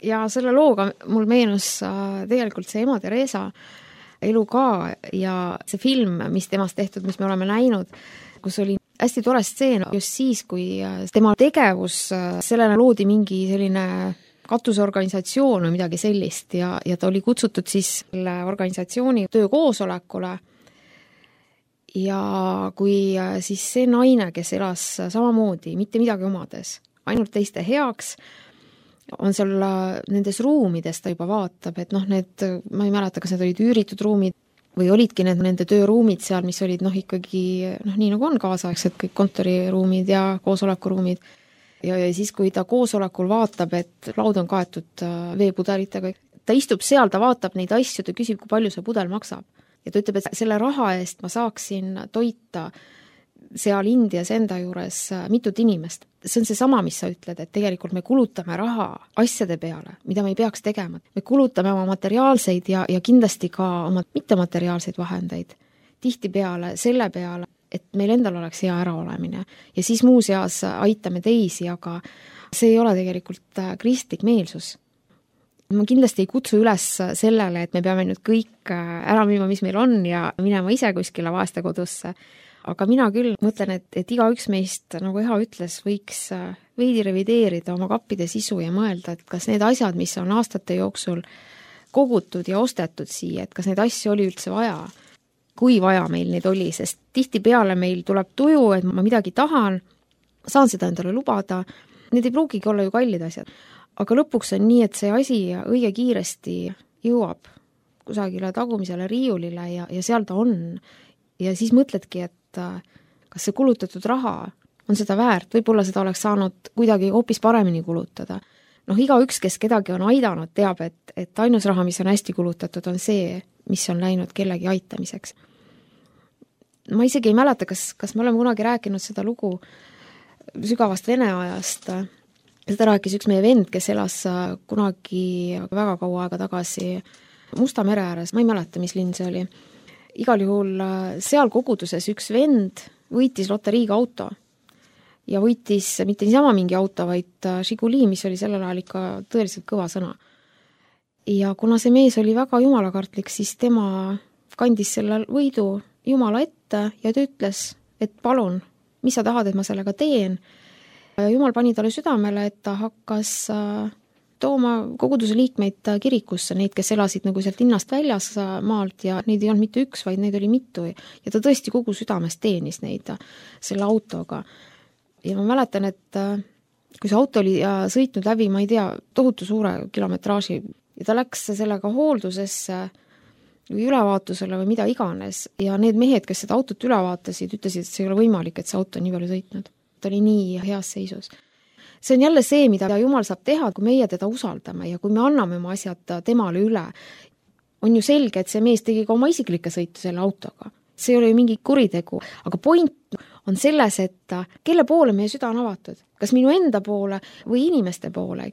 Ja selle looga mul meenus tegelikult see ema Teresa elu ka ja see film, mis temast tehtud, mis me oleme näinud, kus oli hästi tore stseen just siis, kui tema tegevus, sellele loodi mingi selline katusorganisatsioon või midagi sellist ja, ja ta oli kutsutud siis selle organisatsiooni töökoosolekule ja kui siis see naine, kes elas samamoodi, mitte midagi omades, ainult teiste heaks, on seal nendes ruumides, ta juba vaatab, et noh, need, ma ei mäleta, kas need olid üüritud ruumid või olidki need nende tööruumid seal, mis olid noh ikkagi, noh nii nagu on kaasaegsed kõik kontoriruumid ja koosolekuruumid. Ja, ja siis, kui ta koosolekul vaatab, et laud on kaetud veepudelitega, ta istub seal, ta vaatab neid asju, ta küsib, kui palju see pudel maksab. Ja ta ütleb, et selle raha eest ma saaksin toita seal Indias enda juures mitut inimest. See on see sama, mis sa ütled, et tegelikult me kulutame raha asjade peale, mida me ei peaks tegema. Me kulutame oma materiaalseid ja, ja kindlasti ka oma mittemateriaalseid vahendeid tihtipeale selle peale, et meil endal oleks hea äraolemine. Ja siis muu seas aitame teisi, aga see ei ole tegelikult kristlik meelsus. Ma kindlasti ei kutsu üles sellele, et me peame nüüd kõik ära müüma, mis meil on ja minema ise kuskile vaeste kodusse. Aga mina küll mõtlen, et, et igaüks meist, nagu Eha ütles, võiks veidi revideerida oma kappide sisu ja mõelda, et kas need asjad, mis on aastate jooksul kogutud ja ostetud siia, et kas neid asju oli üldse vaja, kui vaja meil neid oli, sest tihtipeale meil tuleb tuju, et ma midagi tahan, saan seda endale lubada, need ei pruugigi olla ju kallid asjad. Aga lõpuks on nii, et see asi õige kiiresti jõuab kusagile tagumisele riiulile ja, ja seal ta on. Ja siis mõtledki, et kas see kulutatud raha on seda väärt, võib-olla seda oleks saanud kuidagi hoopis paremini kulutada. Noh, igaüks, kes kedagi on aidanud, teab, et, et ainus raha, mis on hästi kulutatud, on see, mis on läinud kellegi aitamiseks. Ma isegi ei mäleta, kas, kas me oleme kunagi rääkinud seda lugu sügavast Vene ajast. Seda rääkis üks meie vend, kes elas kunagi väga kaua aega tagasi Musta mere ääres, ma ei mäleta, mis linn see oli. Igal juhul seal koguduses üks vend võitis loteriiga auto ja võitis mitte niisama mingi auto, vaid Žiguli, mis oli sellel ajal ikka tõeliselt kõva sõna. Ja kuna see mees oli väga jumalakartlik, siis tema kandis selle võidu Jumala ette ja ta ütles, et palun, mis sa tahad, et ma sellega teen. Jumal pani talle südamele, et ta hakkas tooma koguduse liikmeid kirikusse, neid, kes elasid nagu sealt linnast väljas maalt ja neid ei olnud mitte üks, vaid neid oli mitu ja ta tõesti kogu südamest teenis neid selle autoga. Ja ma mäletan, et kui see auto oli sõitnud läbi, ma ei tea, tohutu suure kilometraaži ja ta läks sellega hooldusesse või ülevaatusele või mida iganes ja need mehed, kes seda autot üle vaatasid, ütlesid, et see ei ole võimalik, et see auto on nii palju sõitnud. Ta oli nii heas seisus. See on jälle see, mida Jumal saab teha, kui meie teda usaldame ja kui me anname oma asjad temale üle. On ju selge, et see mees tegi ka oma isiklikke sõitu selle autoga. See ei ole ju mingi kuritegu, aga point on selles, et kelle poole meie süda on avatud. Kas minu enda poole või inimeste poole.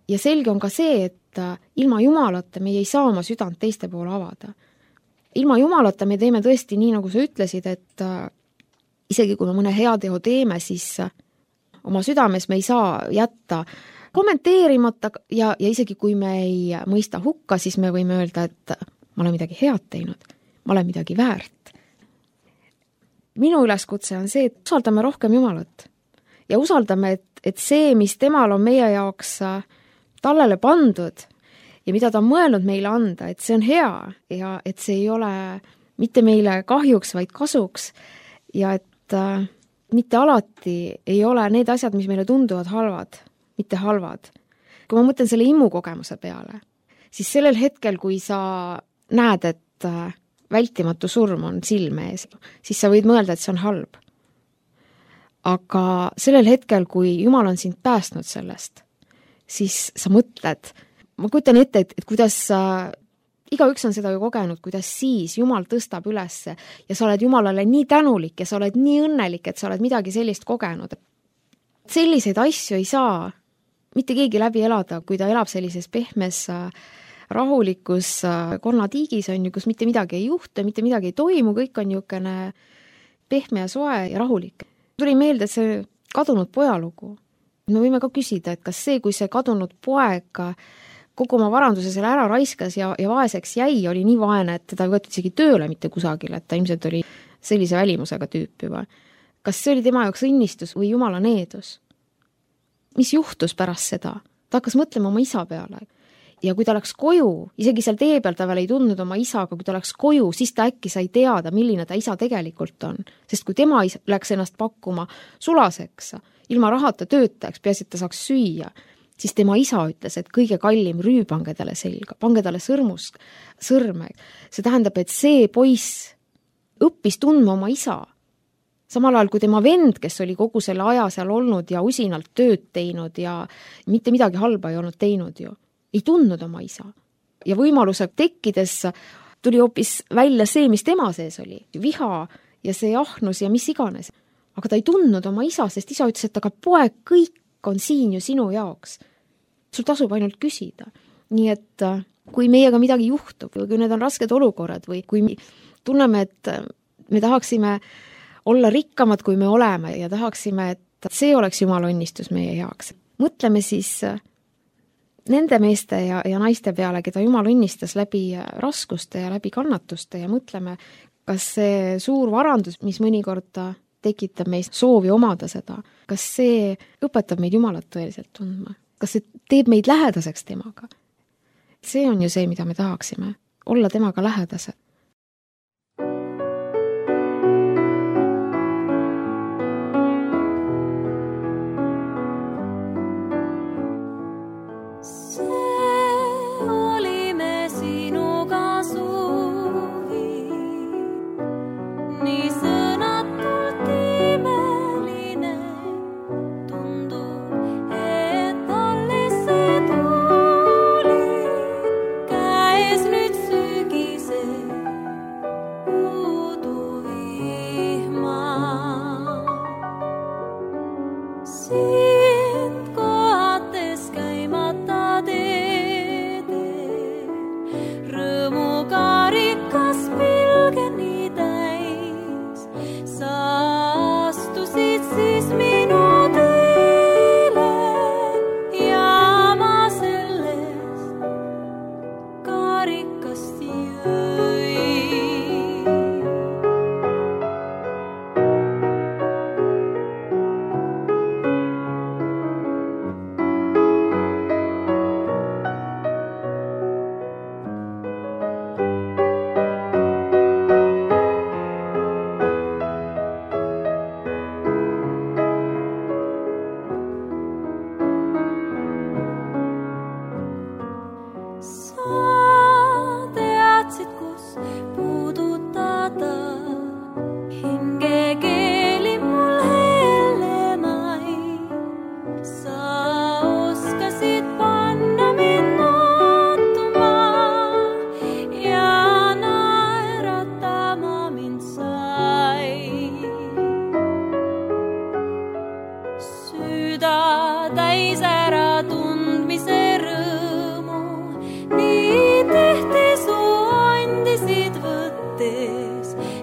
Ja selge on ka see, et ilma Jumalata me ei saa oma südant teiste poole avada. Ilma Jumalata me teeme tõesti nii, nagu sa ütlesid, et isegi kui me mõne hea teo teeme, siis oma südames me ei saa jätta kommenteerimata ja, ja isegi kui me ei mõista hukka, siis me võime öelda, et ma olen midagi head teinud, ma olen midagi väärt. Minu üleskutse on see, et usaldame rohkem Jumalat ja usaldame, et, et see, mis temal on meie jaoks tallele pandud ja mida ta on mõelnud meile anda, et see on hea ja et see ei ole mitte meile kahjuks, vaid kasuks ja et mitte alati ei ole need asjad, mis meile tunduvad halvad, mitte halvad. Kui ma mõtlen selle immukogemuse peale, siis sellel hetkel, kui sa näed, et vältimatu surm on silme ees, siis sa võid mõelda, et see on halb. Aga sellel hetkel, kui Jumal on sind päästnud sellest, siis sa mõtled, ma kujutan ette, et, et kuidas igaüks on seda ju kogenud, kuidas siis Jumal tõstab ülesse ja sa oled Jumalale nii tänulik ja sa oled nii õnnelik, et sa oled midagi sellist kogenud. Selliseid asju ei saa mitte keegi läbi elada, kui ta elab sellises pehmes, rahulikus konnatiigis, on ju, kus mitte midagi ei juhtu, mitte midagi ei toimu, kõik on niisugune pehme ja soe ja rahulik. Tuli meelde, et see kadunud pojalugu. Me võime ka küsida, et kas see, kui see kadunud poeg kogu oma varanduse selle ära raiskas ja, ja vaeseks jäi, oli nii vaene, et teda ei võetud isegi tööle mitte kusagil, et ta ilmselt oli sellise välimusega tüüp juba. Kas see oli tema jaoks õnnistus või Jumala needus? Mis juhtus pärast seda? Ta hakkas mõtlema oma isa peale. Ja kui ta läks koju, isegi seal tee peal ta veel ei tundnud oma isa, aga kui ta läks koju, siis ta äkki sai teada, milline ta isa tegelikult on. Sest kui tema läks ennast pakkuma sulaseks, ilma rahata töötajaks, peaasi, et ta saaks süüa, siis tema isa ütles, et kõige kallim rüü pange talle selga, pange talle sõrmus, sõrme. See tähendab, et see poiss õppis tundma oma isa. Samal ajal kui tema vend, kes oli kogu selle aja seal olnud ja usinalt tööd teinud ja mitte midagi halba ei olnud teinud ju, ei tundnud oma isa. Ja võimaluse tekkides tuli hoopis välja see, mis tema sees oli. Viha ja see ahnus ja mis iganes. Aga ta ei tundnud oma isa, sest isa ütles, et aga poeg, kõik on siin ju sinu jaoks. Sul tasub ainult küsida. Nii et kui meiega midagi juhtub, või kui need on rasked olukorrad või kui tunneme, et me tahaksime olla rikkamad, kui me oleme ja tahaksime, et see oleks Jumala õnnistus meie heaks. Mõtleme siis nende meeste ja, ja naiste peale, keda Jumal õnnistas läbi raskuste ja läbi kannatuste ja mõtleme, kas see suur varandus, mis mõnikord tekitab meist soovi omada seda, kas see õpetab meid Jumalat tõeliselt tundma? Kas see teeb meid lähedaseks temaga? See on ju see, mida me tahaksime, olla temaga lähedased.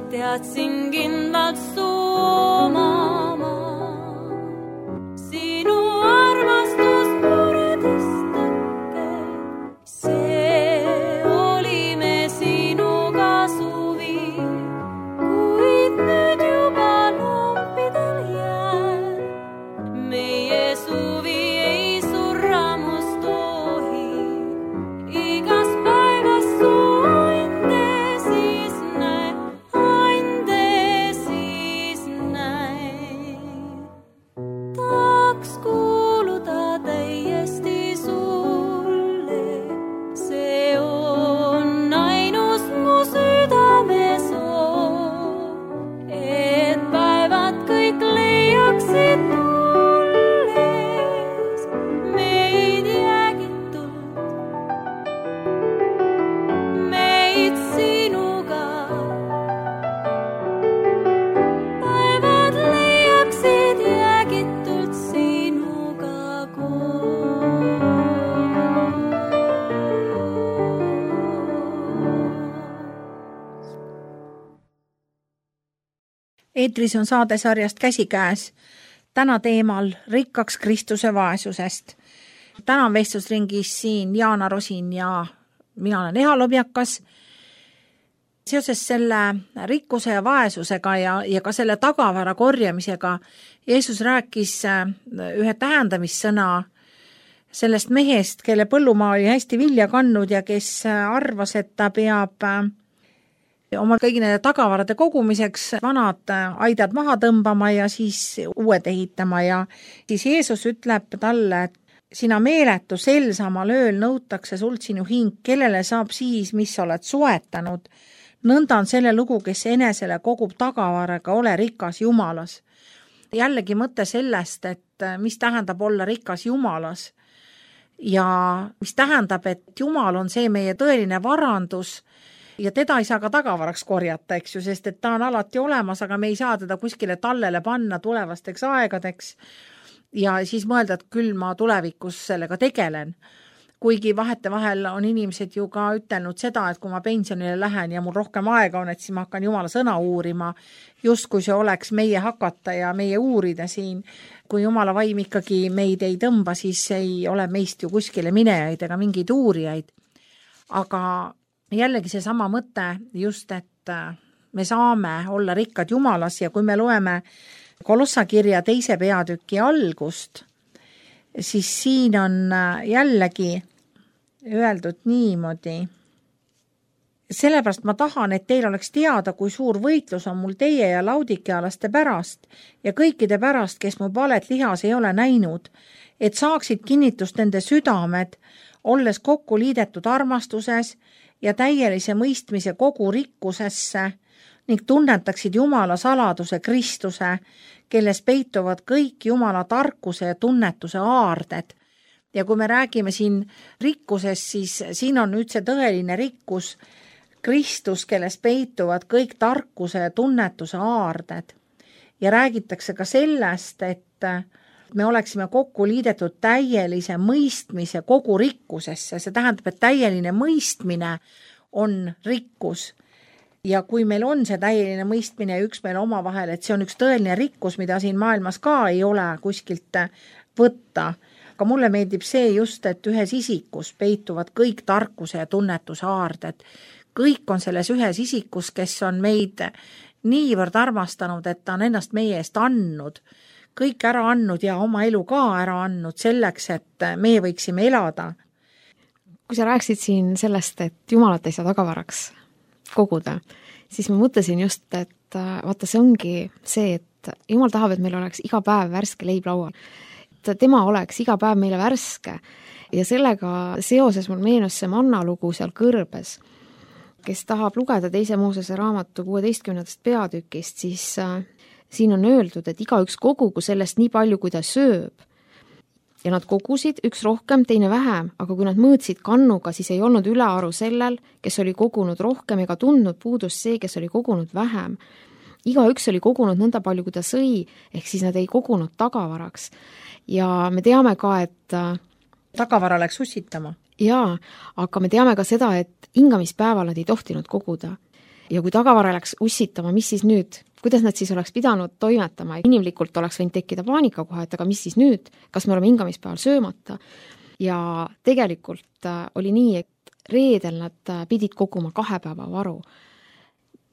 Teadsin kindlalt soomama. Sinu armastus puredistake. See olime sinuga suvi, kuid nüüd juba lompidel jääb. Meie suvi ei surramus tohi, igas päevas soinde siis näe. Me Eetris on saadesarjast Käsikäes. Täna teemal rikkaks Kristuse vaesusest. Täna on vestlusringis siin Jaana Rosin ja mina olen Eha Lobjakas. Seoses selle rikkuse ja vaesusega ja, ja ka selle tagavara korjamisega Jeesus rääkis ühe tähendamissõna sellest mehest, kelle põllumaa oli hästi vilja kannud ja kes arvas, et ta peab oma kõigi nende tagavarade kogumiseks vanad aidad maha tõmbama ja siis uued ehitama ja siis Jeesus ütleb talle, et sina meeletu sel samal ööl nõutakse sult sinu hing, kellele saab siis, mis oled soetanud. Nõnda on selle lugu, kes enesele kogub tagavaraga, ole rikas Jumalas. Jällegi mõte sellest, et mis tähendab olla rikas Jumalas ja mis tähendab, et Jumal on see meie tõeline varandus ja teda ei saa ka tagavaraks korjata, eks ju, sest et ta on alati olemas, aga me ei saa teda kuskile tallele panna tulevasteks aegadeks ja siis mõelda, et küll ma tulevikus sellega tegelen. Kuigi vahete vahel on inimesed ju ka ütelnud seda, et kui ma pensionile lähen ja mul rohkem aega on, et siis ma hakkan Jumala sõna uurima, just kui see oleks meie hakata ja meie uurida siin. Kui Jumala vaim ikkagi meid ei tõmba, siis ei ole meist ju kuskile minejaid ega mingeid uurijaid. Aga jällegi see sama mõte just, et me saame olla rikkad Jumalas ja kui me loeme Kolossa kirja teise peatüki algust, siis siin on jällegi öeldud niimoodi. Sellepärast ma tahan, et teil oleks teada, kui suur võitlus on mul teie ja laudikealaste pärast ja kõikide pärast, kes mu valet lihas ei ole näinud, et saaksid kinnitust nende südamed, olles kokku liidetud armastuses ja täielise mõistmise kogu rikkusesse ning tunnetaksid Jumala saladuse Kristuse, kelles peituvad kõik Jumala tarkuse ja tunnetuse aarded. Ja kui me räägime siin rikkusest, siis siin on nüüd see tõeline rikkus Kristus, kelles peituvad kõik tarkuse ja tunnetuse aarded. Ja räägitakse ka sellest, et me oleksime kokku liidetud täielise mõistmise kogu rikkusesse. See tähendab, et täieline mõistmine on rikkus. Ja kui meil on see täieline mõistmine ja üks meil oma vahel, et see on üks tõeline rikkus, mida siin maailmas ka ei ole kuskilt võtta. Aga mulle meeldib see just, et ühes isikus peituvad kõik tarkuse ja tunnetuse aarded. Kõik on selles ühes isikus, kes on meid niivõrd armastanud, et ta on ennast meie eest andnud. Kõik ära andnud ja oma elu ka ära andnud selleks, et meie võiksime elada. Kui sa rääksid siin sellest, et Jumalat ei saa tagavaraks koguda, siis ma mõtlesin just, et vaata, see ongi see, et Jumal tahab, et meil oleks iga päev värske leib laual. Et tema oleks iga päev meile värske ja sellega seoses mul meenus see manna lugu seal kõrbes. Kes tahab lugeda teise Moosese raamatu kuueteistkümnendast peatükist, siis äh, siin on öeldud, et igaüks kogugu sellest nii palju, kui ta sööb. Ja nad kogusid üks rohkem, teine vähem, aga kui nad mõõtsid kannuga, siis ei olnud ülearu sellel, kes oli kogunud rohkem ega tundnud puudust see, kes oli kogunud vähem. Igaüks oli kogunud nõnda palju, kui ta sõi, ehk siis nad ei kogunud tagavaraks. Ja me teame ka, et tagavara läks ussitama. Jaa, aga me teame ka seda, et hingamispäeval nad ei tohtinud koguda. Ja kui tagavara läks ussitama, mis siis nüüd? Kuidas nad siis oleks pidanud toimetama? Inimlikult oleks võinud tekkida paanika kohe, et aga mis siis nüüd? Kas me oleme hingamispäeval söömata? Ja tegelikult oli nii, et reedel nad pidid koguma kahe päeva varu.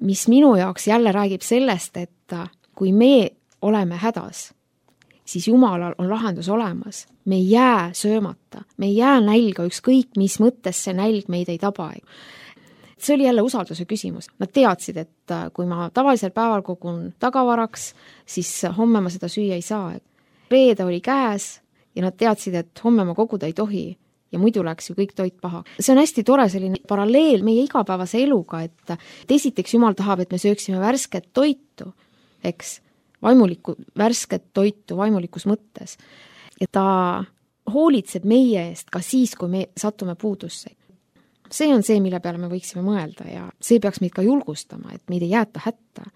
Mis minu jaoks jälle räägib sellest, et kui me oleme hädas, siis Jumalal on lahendus olemas. Me ei jää söömata, me ei jää nälga, ükskõik mis mõttes see nälg meid ei taba. See oli jälle usalduse küsimus. Nad teadsid, et kui ma tavalisel päeval kogun tagavaraks, siis homme ma seda süüa ei saa. Reede oli käes ja nad teadsid, et homme ma koguda ei tohi ja muidu läks ju kõik toit paha. See on hästi tore selline paralleel meie igapäevase eluga, et esiteks Jumal tahab, et me sööksime värsket toitu, eks, vaimulikku, värsket toitu vaimulikus mõttes. Ja ta hoolitseb meie eest ka siis, kui me satume puudusse. See on see, mille peale me võiksime mõelda ja see peaks meid ka julgustama, et meid ei jäeta hätta.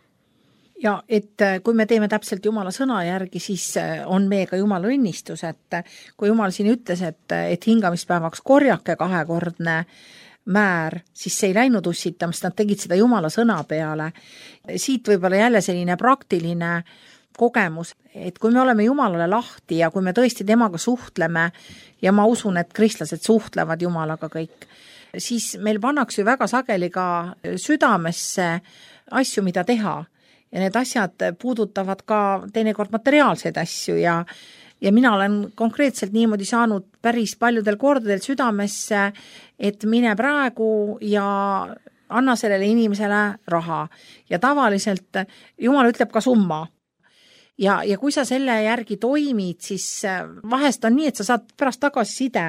Ja et kui me teeme täpselt Jumala sõna järgi, siis on meiega Jumala õnnistus, et kui Jumal siin ütles, et, et hingamispäevaks korjake kahekordne määr, siis see ei läinud ussitama, sest nad tegid seda Jumala sõna peale. Siit võib-olla jälle selline praktiline kogemus, et kui me oleme Jumalale lahti ja kui me tõesti temaga suhtleme ja ma usun, et kristlased suhtlevad Jumalaga kõik, siis meil pannakse ju väga sageli ka südamesse asju, mida teha. Ja need asjad puudutavad ka teinekord materiaalseid asju ja Ja mina olen konkreetselt niimoodi saanud päris paljudel kordadel südamesse, et mine praegu ja anna sellele inimesele raha. Ja tavaliselt Jumal ütleb ka summa. Ja, ja kui sa selle järgi toimid, siis vahest on nii, et sa saad pärast tagasi side.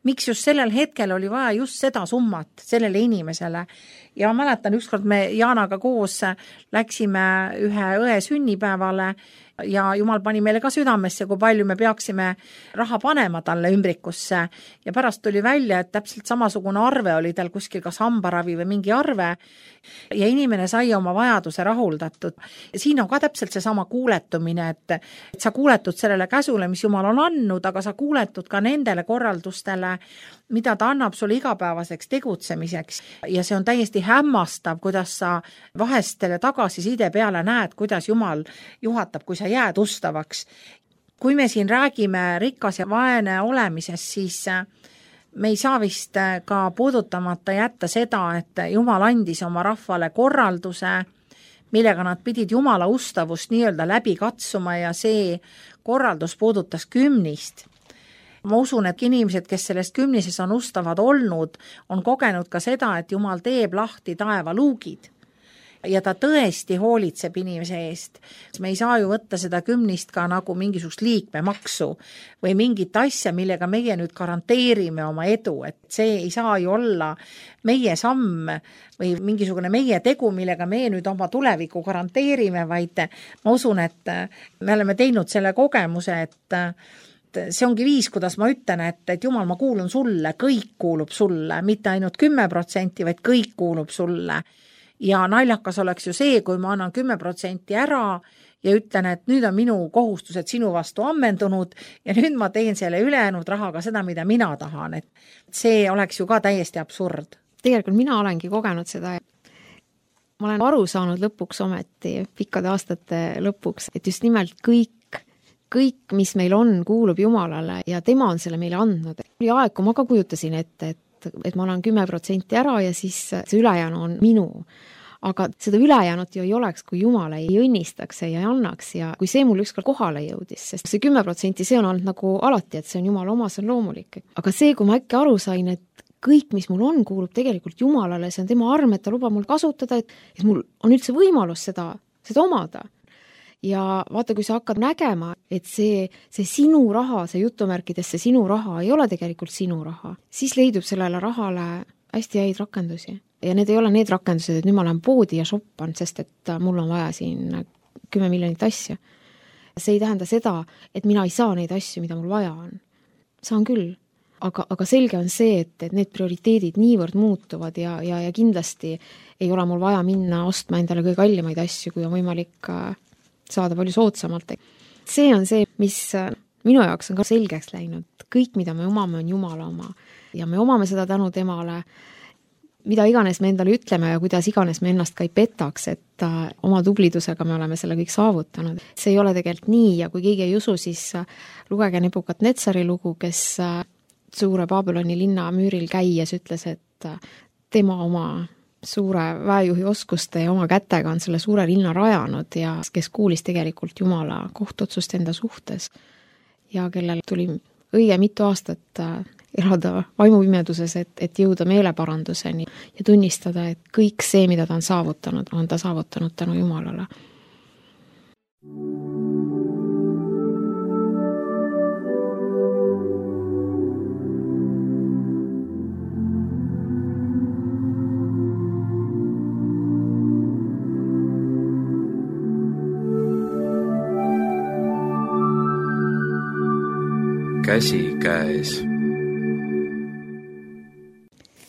Miks just sellel hetkel oli vaja just seda summat sellele inimesele. Ja mäletan, ükskord me Jaanaga koos läksime ühe õe sünnipäevale ja Jumal pani meile ka südamesse, kui palju me peaksime raha panema talle ümbrikusse. Ja pärast tuli välja, et täpselt samasugune arve oli tal kuskil kas hambaravi või mingi arve ja inimene sai oma vajaduse rahuldatud. Ja siin on ka täpselt see sama kuuletumine, et, et sa kuuletud sellele käsule, mis Jumal on andnud, aga sa kuuletud ka nendele korraldustele, mida ta annab sulle igapäevaseks tegutsemiseks. Ja see on täiesti hämmastav, kuidas sa vahest selle tagasiside peale näed, kuidas Jumal juhatab, kui sa jääd ustavaks. Kui me siin räägime rikas ja vaene olemisest, siis me ei saa vist ka puudutamata jätta seda, et Jumal andis oma rahvale korralduse, millega nad pidid Jumala ustavust nii-öelda läbi katsuma ja see korraldus puudutas kümnist. Ma usun, et inimesed, kes sellest kümnises on ustavad olnud, on kogenud ka seda, et Jumal teeb lahti taeva luugid ja ta tõesti hoolitseb inimese eest. Me ei saa ju võtta seda kümnist ka nagu mingisugust liikmemaksu või mingit asja, millega meie nüüd garanteerime oma edu, et see ei saa ju olla meie samm või mingisugune meie tegu, millega me nüüd oma tuleviku garanteerime, vaid ma usun, et me oleme teinud selle kogemuse, et see ongi viis, kuidas ma ütlen, et, et Jumal, ma kuulun sulle, kõik kuulub sulle, mitte ainult kümme protsenti, vaid kõik kuulub sulle. Ja naljakas oleks ju see, kui ma annan kümme protsenti ära ja ütlen, et nüüd on minu kohustused sinu vastu ammendunud ja nüüd ma teen selle ülejäänud rahaga seda, mida mina tahan. Et see oleks ju ka täiesti absurd. Tegelikult mina olengi kogenud seda. Ma olen aru saanud lõpuks ometi, pikkade aastate lõpuks, et just nimelt kõik kõik, mis meil on, kuulub Jumalale ja tema on selle meile andnud. Oli aeg, kui ma ka kujutasin ette, et, et ma annan kümme protsenti ära ja siis see ülejäänu on minu. Aga seda ülejäänut ju ei oleks, kui Jumal ei õnnistaks ja ei annaks ja kui see mul ükskord kohale jõudis, sest see kümme protsenti see on olnud nagu alati, et see on Jumal oma, see on loomulik. Aga see, kui ma äkki aru sain, et kõik, mis mul on, kuulub tegelikult Jumalale, see on tema arm, et ta lubab mul kasutada, et, et mul on üldse võimalus seda, seda omada. Ja vaata, kui sa hakkad nägema, et see, see sinu raha, see jutumärkides see sinu raha ei ole tegelikult sinu raha, siis leidub sellele rahale hästi häid rakendusi. Ja need ei ole need rakendused, et nüüd ma olen poodi ja shoppan, sest et mul on vaja siin kümme miljonit asja. See ei tähenda seda, et mina ei saa neid asju, mida mul vaja on. Saan küll. Aga, aga selge on see, et, et need prioriteedid niivõrd muutuvad ja, ja, ja kindlasti ei ole mul vaja minna ostma endale kõige kallimaid asju, kui on võimalik saada palju soodsamalt. See on see, mis minu jaoks on ka selgeks läinud. Kõik, mida me omame, on Jumala oma. Ja me omame seda tänu temale, mida iganes me endale ütleme ja kuidas iganes me ennast ka ei petaks, et oma tublidusega me oleme selle kõik saavutanud. See ei ole tegelikult nii ja kui keegi ei usu, siis lugege Nebukadnetsari lugu, kes suure Babyloni linna müüril käies ütles, et tema oma suure väejuhi oskuste ja oma kätega on selle suure linna rajanud ja kes kuulis tegelikult Jumala kohtuotsust enda suhtes ja kellel tuli õige mitu aastat elada vaimupimeduses, et, et jõuda meeleparanduseni ja tunnistada, et kõik see, mida ta on saavutanud, on ta saavutanud tänu Jumalale. Käsi käes.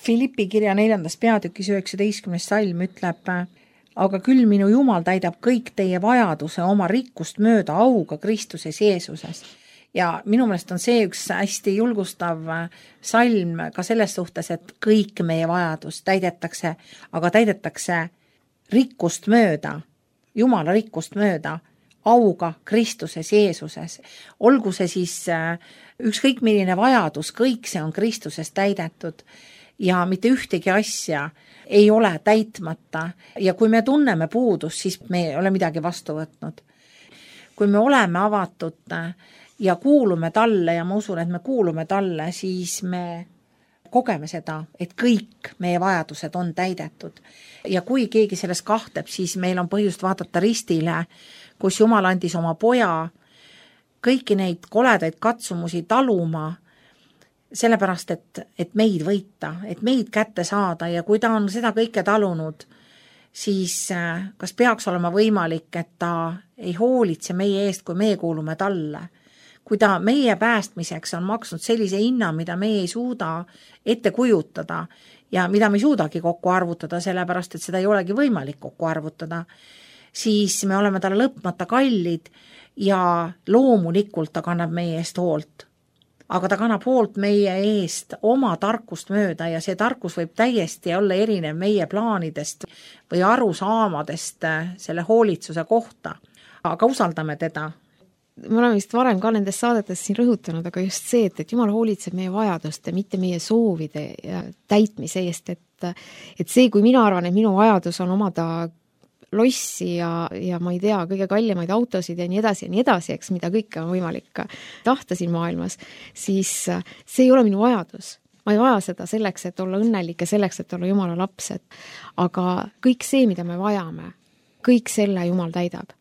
Filippi kirja neljandas peatükis üheksateistkümnes salm ütleb, aga küll minu Jumal täidab kõik teie vajaduse oma rikkust mööda auga Kristuses Jeesuses. Ja minu meelest on see üks hästi julgustav salm ka selles suhtes, et kõik meie vajadus täidetakse, aga täidetakse rikkust mööda, Jumala rikkust mööda, auga Kristuses Jeesuses. Olgu see siis ükskõik milline vajadus, kõik see on Kristuses täidetud ja mitte ühtegi asja ei ole täitmata. Ja kui me tunneme puudust, siis me ei ole midagi vastu võtnud. Kui me oleme avatud ja kuulume talle ja ma usun, et me kuulume talle, siis me kogeme seda, et kõik meie vajadused on täidetud. Ja kui keegi selles kahtleb, siis meil on põhjust vaadata ristile, kus Jumal andis oma poja kõiki neid koledaid katsumusi taluma, sellepärast, et, et meid võita, et meid kätte saada ja kui ta on seda kõike talunud, siis kas peaks olema võimalik, et ta ei hoolitse meie eest, kui meie kuulume talle. Kui ta meie päästmiseks on maksnud sellise hinna, mida me ei suuda ette kujutada ja mida me ei suudagi kokku arvutada, sellepärast, et seda ei olegi võimalik kokku arvutada, siis me oleme talle lõpmata kallid ja loomulikult ta kannab meie eest hoolt. Aga ta kannab hoolt meie eest oma tarkust mööda ja see tarkus võib täiesti olla erinev meie plaanidest või arusaamadest selle hoolitsuse kohta. Aga usaldame teda. Me oleme vist varem ka nendes saadetes siin rõhutanud, aga just see, et, et Jumal hoolitseb meie vajaduste, mitte meie soovide ja täitmise eest, et, et see, kui mina arvan, et minu vajadus on omada lossi ja, ja ma ei tea, kõige kallimaid autosid ja nii edasi ja nii edasi, eks, mida kõike on võimalik tahta siin maailmas, siis see ei ole minu vajadus. Ma ei vaja seda selleks, et olla õnnelik ja selleks, et olla Jumala lapsed. Aga kõik see, mida me vajame, kõik selle Jumal täidab.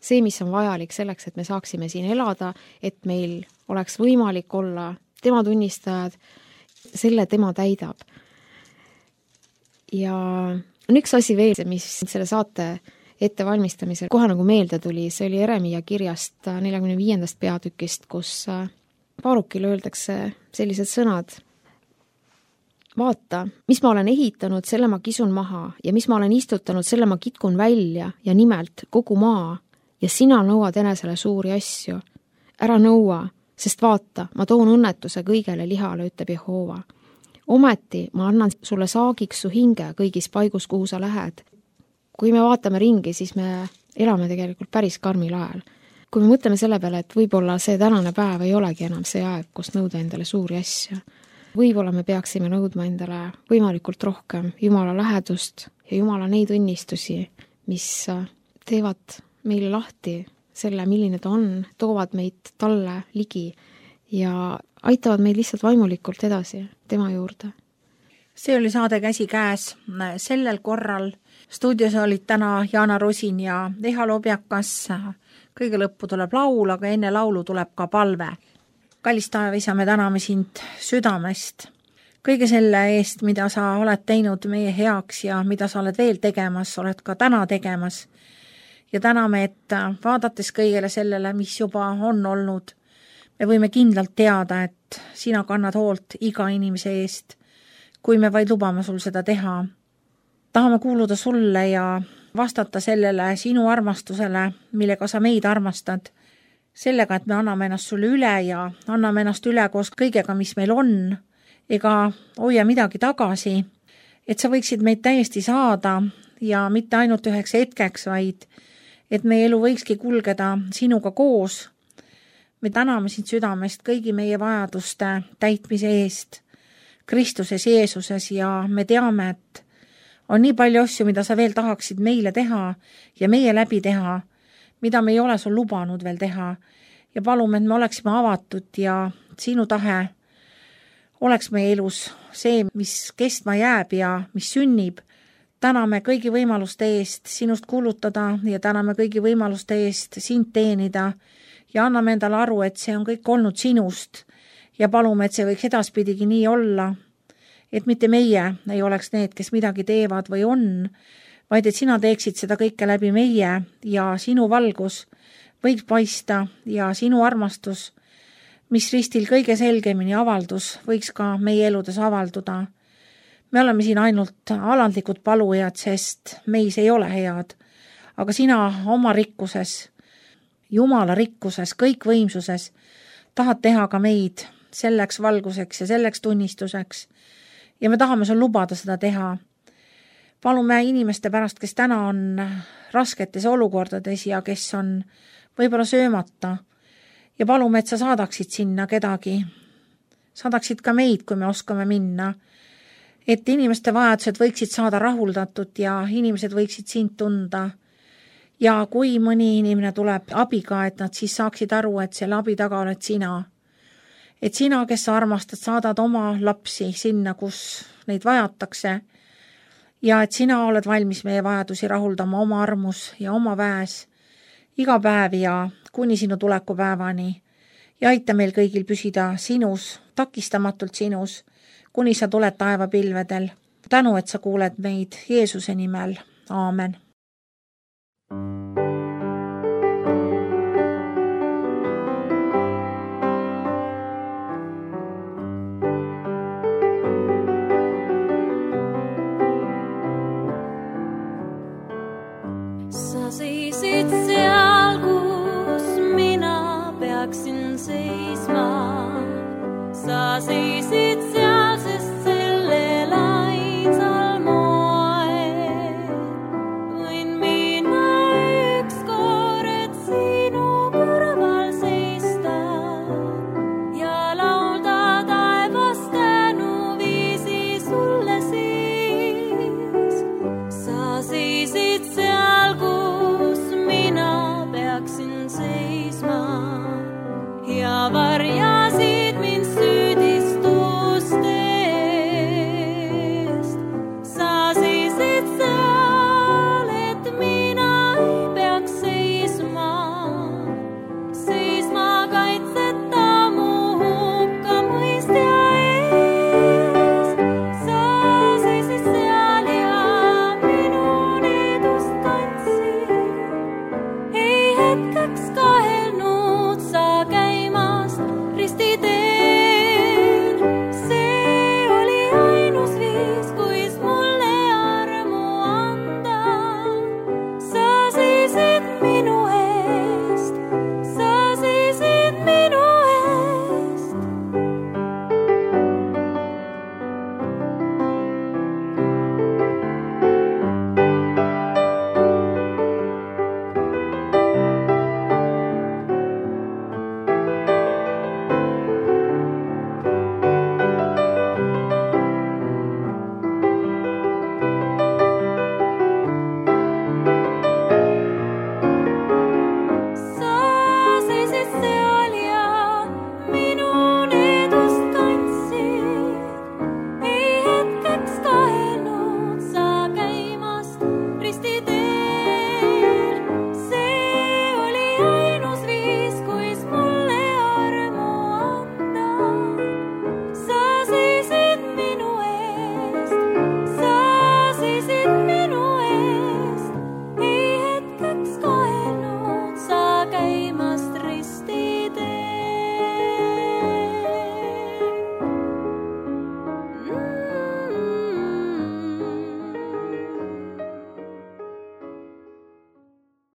See, mis on vajalik selleks, et me saaksime siin elada, et meil oleks võimalik olla tema tunnistajad, selle tema täidab. Ja on üks asi veel, mis selle saate ettevalmistamisel kohe nagu meelde tuli, see oli Jeremia kirjast neljakümne viiendast peatükist, kus Baarukile öeldakse sellised sõnad. Vaata, mis ma olen ehitanud, selle ma kisun maha ja mis ma olen istutanud, selle ma kitkun välja ja nimelt kogu maa. Ja sina nõuad enesele suuri asju. Ära nõua, sest vaata, ma toon õnnetuse kõigele lihale, ütleb Jehova. Ometi ma annan sulle saagiks su hinge kõigis paigus, kuhu sa lähed. Kui me vaatame ringi, siis me elame tegelikult päris karmil ajal. Kui me mõtleme selle peale, et võib-olla see tänane päev ei olegi enam see aeg, kus nõuda endale suuri asju. Võib-olla me peaksime nõudma endale võimalikult rohkem Jumala lähedust ja Jumala neid õnnistusi, mis teevad meile lahti selle, milline ta on, toovad meid talle ligi ja aitavad meid lihtsalt vaimulikult edasi tema juurde. See oli saade Käsi käes. Sellel korral stuudios olid täna Jaana Rosin ja Eha Lobjakas. Kõige lõppu tuleb laul, aga enne laulu tuleb ka palve. Kallis taevaisa, me täname sind südamest. Kõige selle eest, mida sa oled teinud meie heaks ja mida sa oled veel tegemas, oled ka täna tegemas. Ja täname, et vaadates kõigele sellele, mis juba on olnud, me võime kindlalt teada, et sina kannad hoolt iga inimese eest, kui me vaid lubame sul seda teha. Tahame kuuluda sulle ja vastata sellele sinu armastusele, millega sa meid armastad, sellega, et me anname ennast sulle üle ja anname ennast üle koos kõigega, mis meil on, ega hoia midagi tagasi, et sa võiksid meid täiesti saada ja mitte ainult üheks hetkeks, vaid et meie elu võikski kulgeda sinuga koos. Me täname sind südamest kõigi meie vajaduste täitmise eest Kristuses Jeesuses ja me teame, et on nii palju asju, mida sa veel tahaksid meile teha ja meie läbi teha, mida me ei ole sul lubanud veel teha ja palume, et me oleksime avatud ja sinu tahe oleks meie elus see, mis kestma jääb ja mis sünnib. Täname kõigi võimaluste eest sinust kuulutada ja täname kõigi võimaluste eest sind teenida ja anname endale aru, et see on kõik olnud sinust ja palume, et see võiks edaspidigi nii olla, et mitte meie ei oleks need, kes midagi teevad või on, vaid et sina teeksid seda kõike läbi meie ja sinu valgus võiks paista ja sinu armastus, mis ristil kõige selgemini avaldus, võiks ka meie eludes avalduda. Me oleme siin ainult alandlikud palujad, sest meis ei ole head, aga sina oma rikkuses, Jumala rikkuses, kõikvõimsuses, tahad teha ka meid selleks valguseks ja selleks tunnistuseks ja me tahame sul lubada seda teha. Palume inimeste pärast, kes täna on rasketes olukordades ja kes on võib-olla söömata ja palume, et sa saadaksid sinna kedagi, saadaksid ka meid, kui me oskame minna, et inimeste vajadused võiksid saada rahuldatud ja inimesed võiksid sind tunda. Ja kui mõni inimene tuleb abiga, et nad siis saaksid aru, et selle abi taga oled sina. Et sina, kes sa armastad, saadad oma lapsi sinna, kus neid vajatakse ja et sina oled valmis meie vajadusi rahuldama oma armus ja oma väes iga päev ja kuni sinu tulekupäevani ja aita meil kõigil püsida sinus, takistamatult sinus, kuni sa tuled taevapilvedel. Tänu, et sa kuuled meid Jeesuse nimel. Aamen. Sa seisid seal, kus mina peaksin seisma. Sa seisid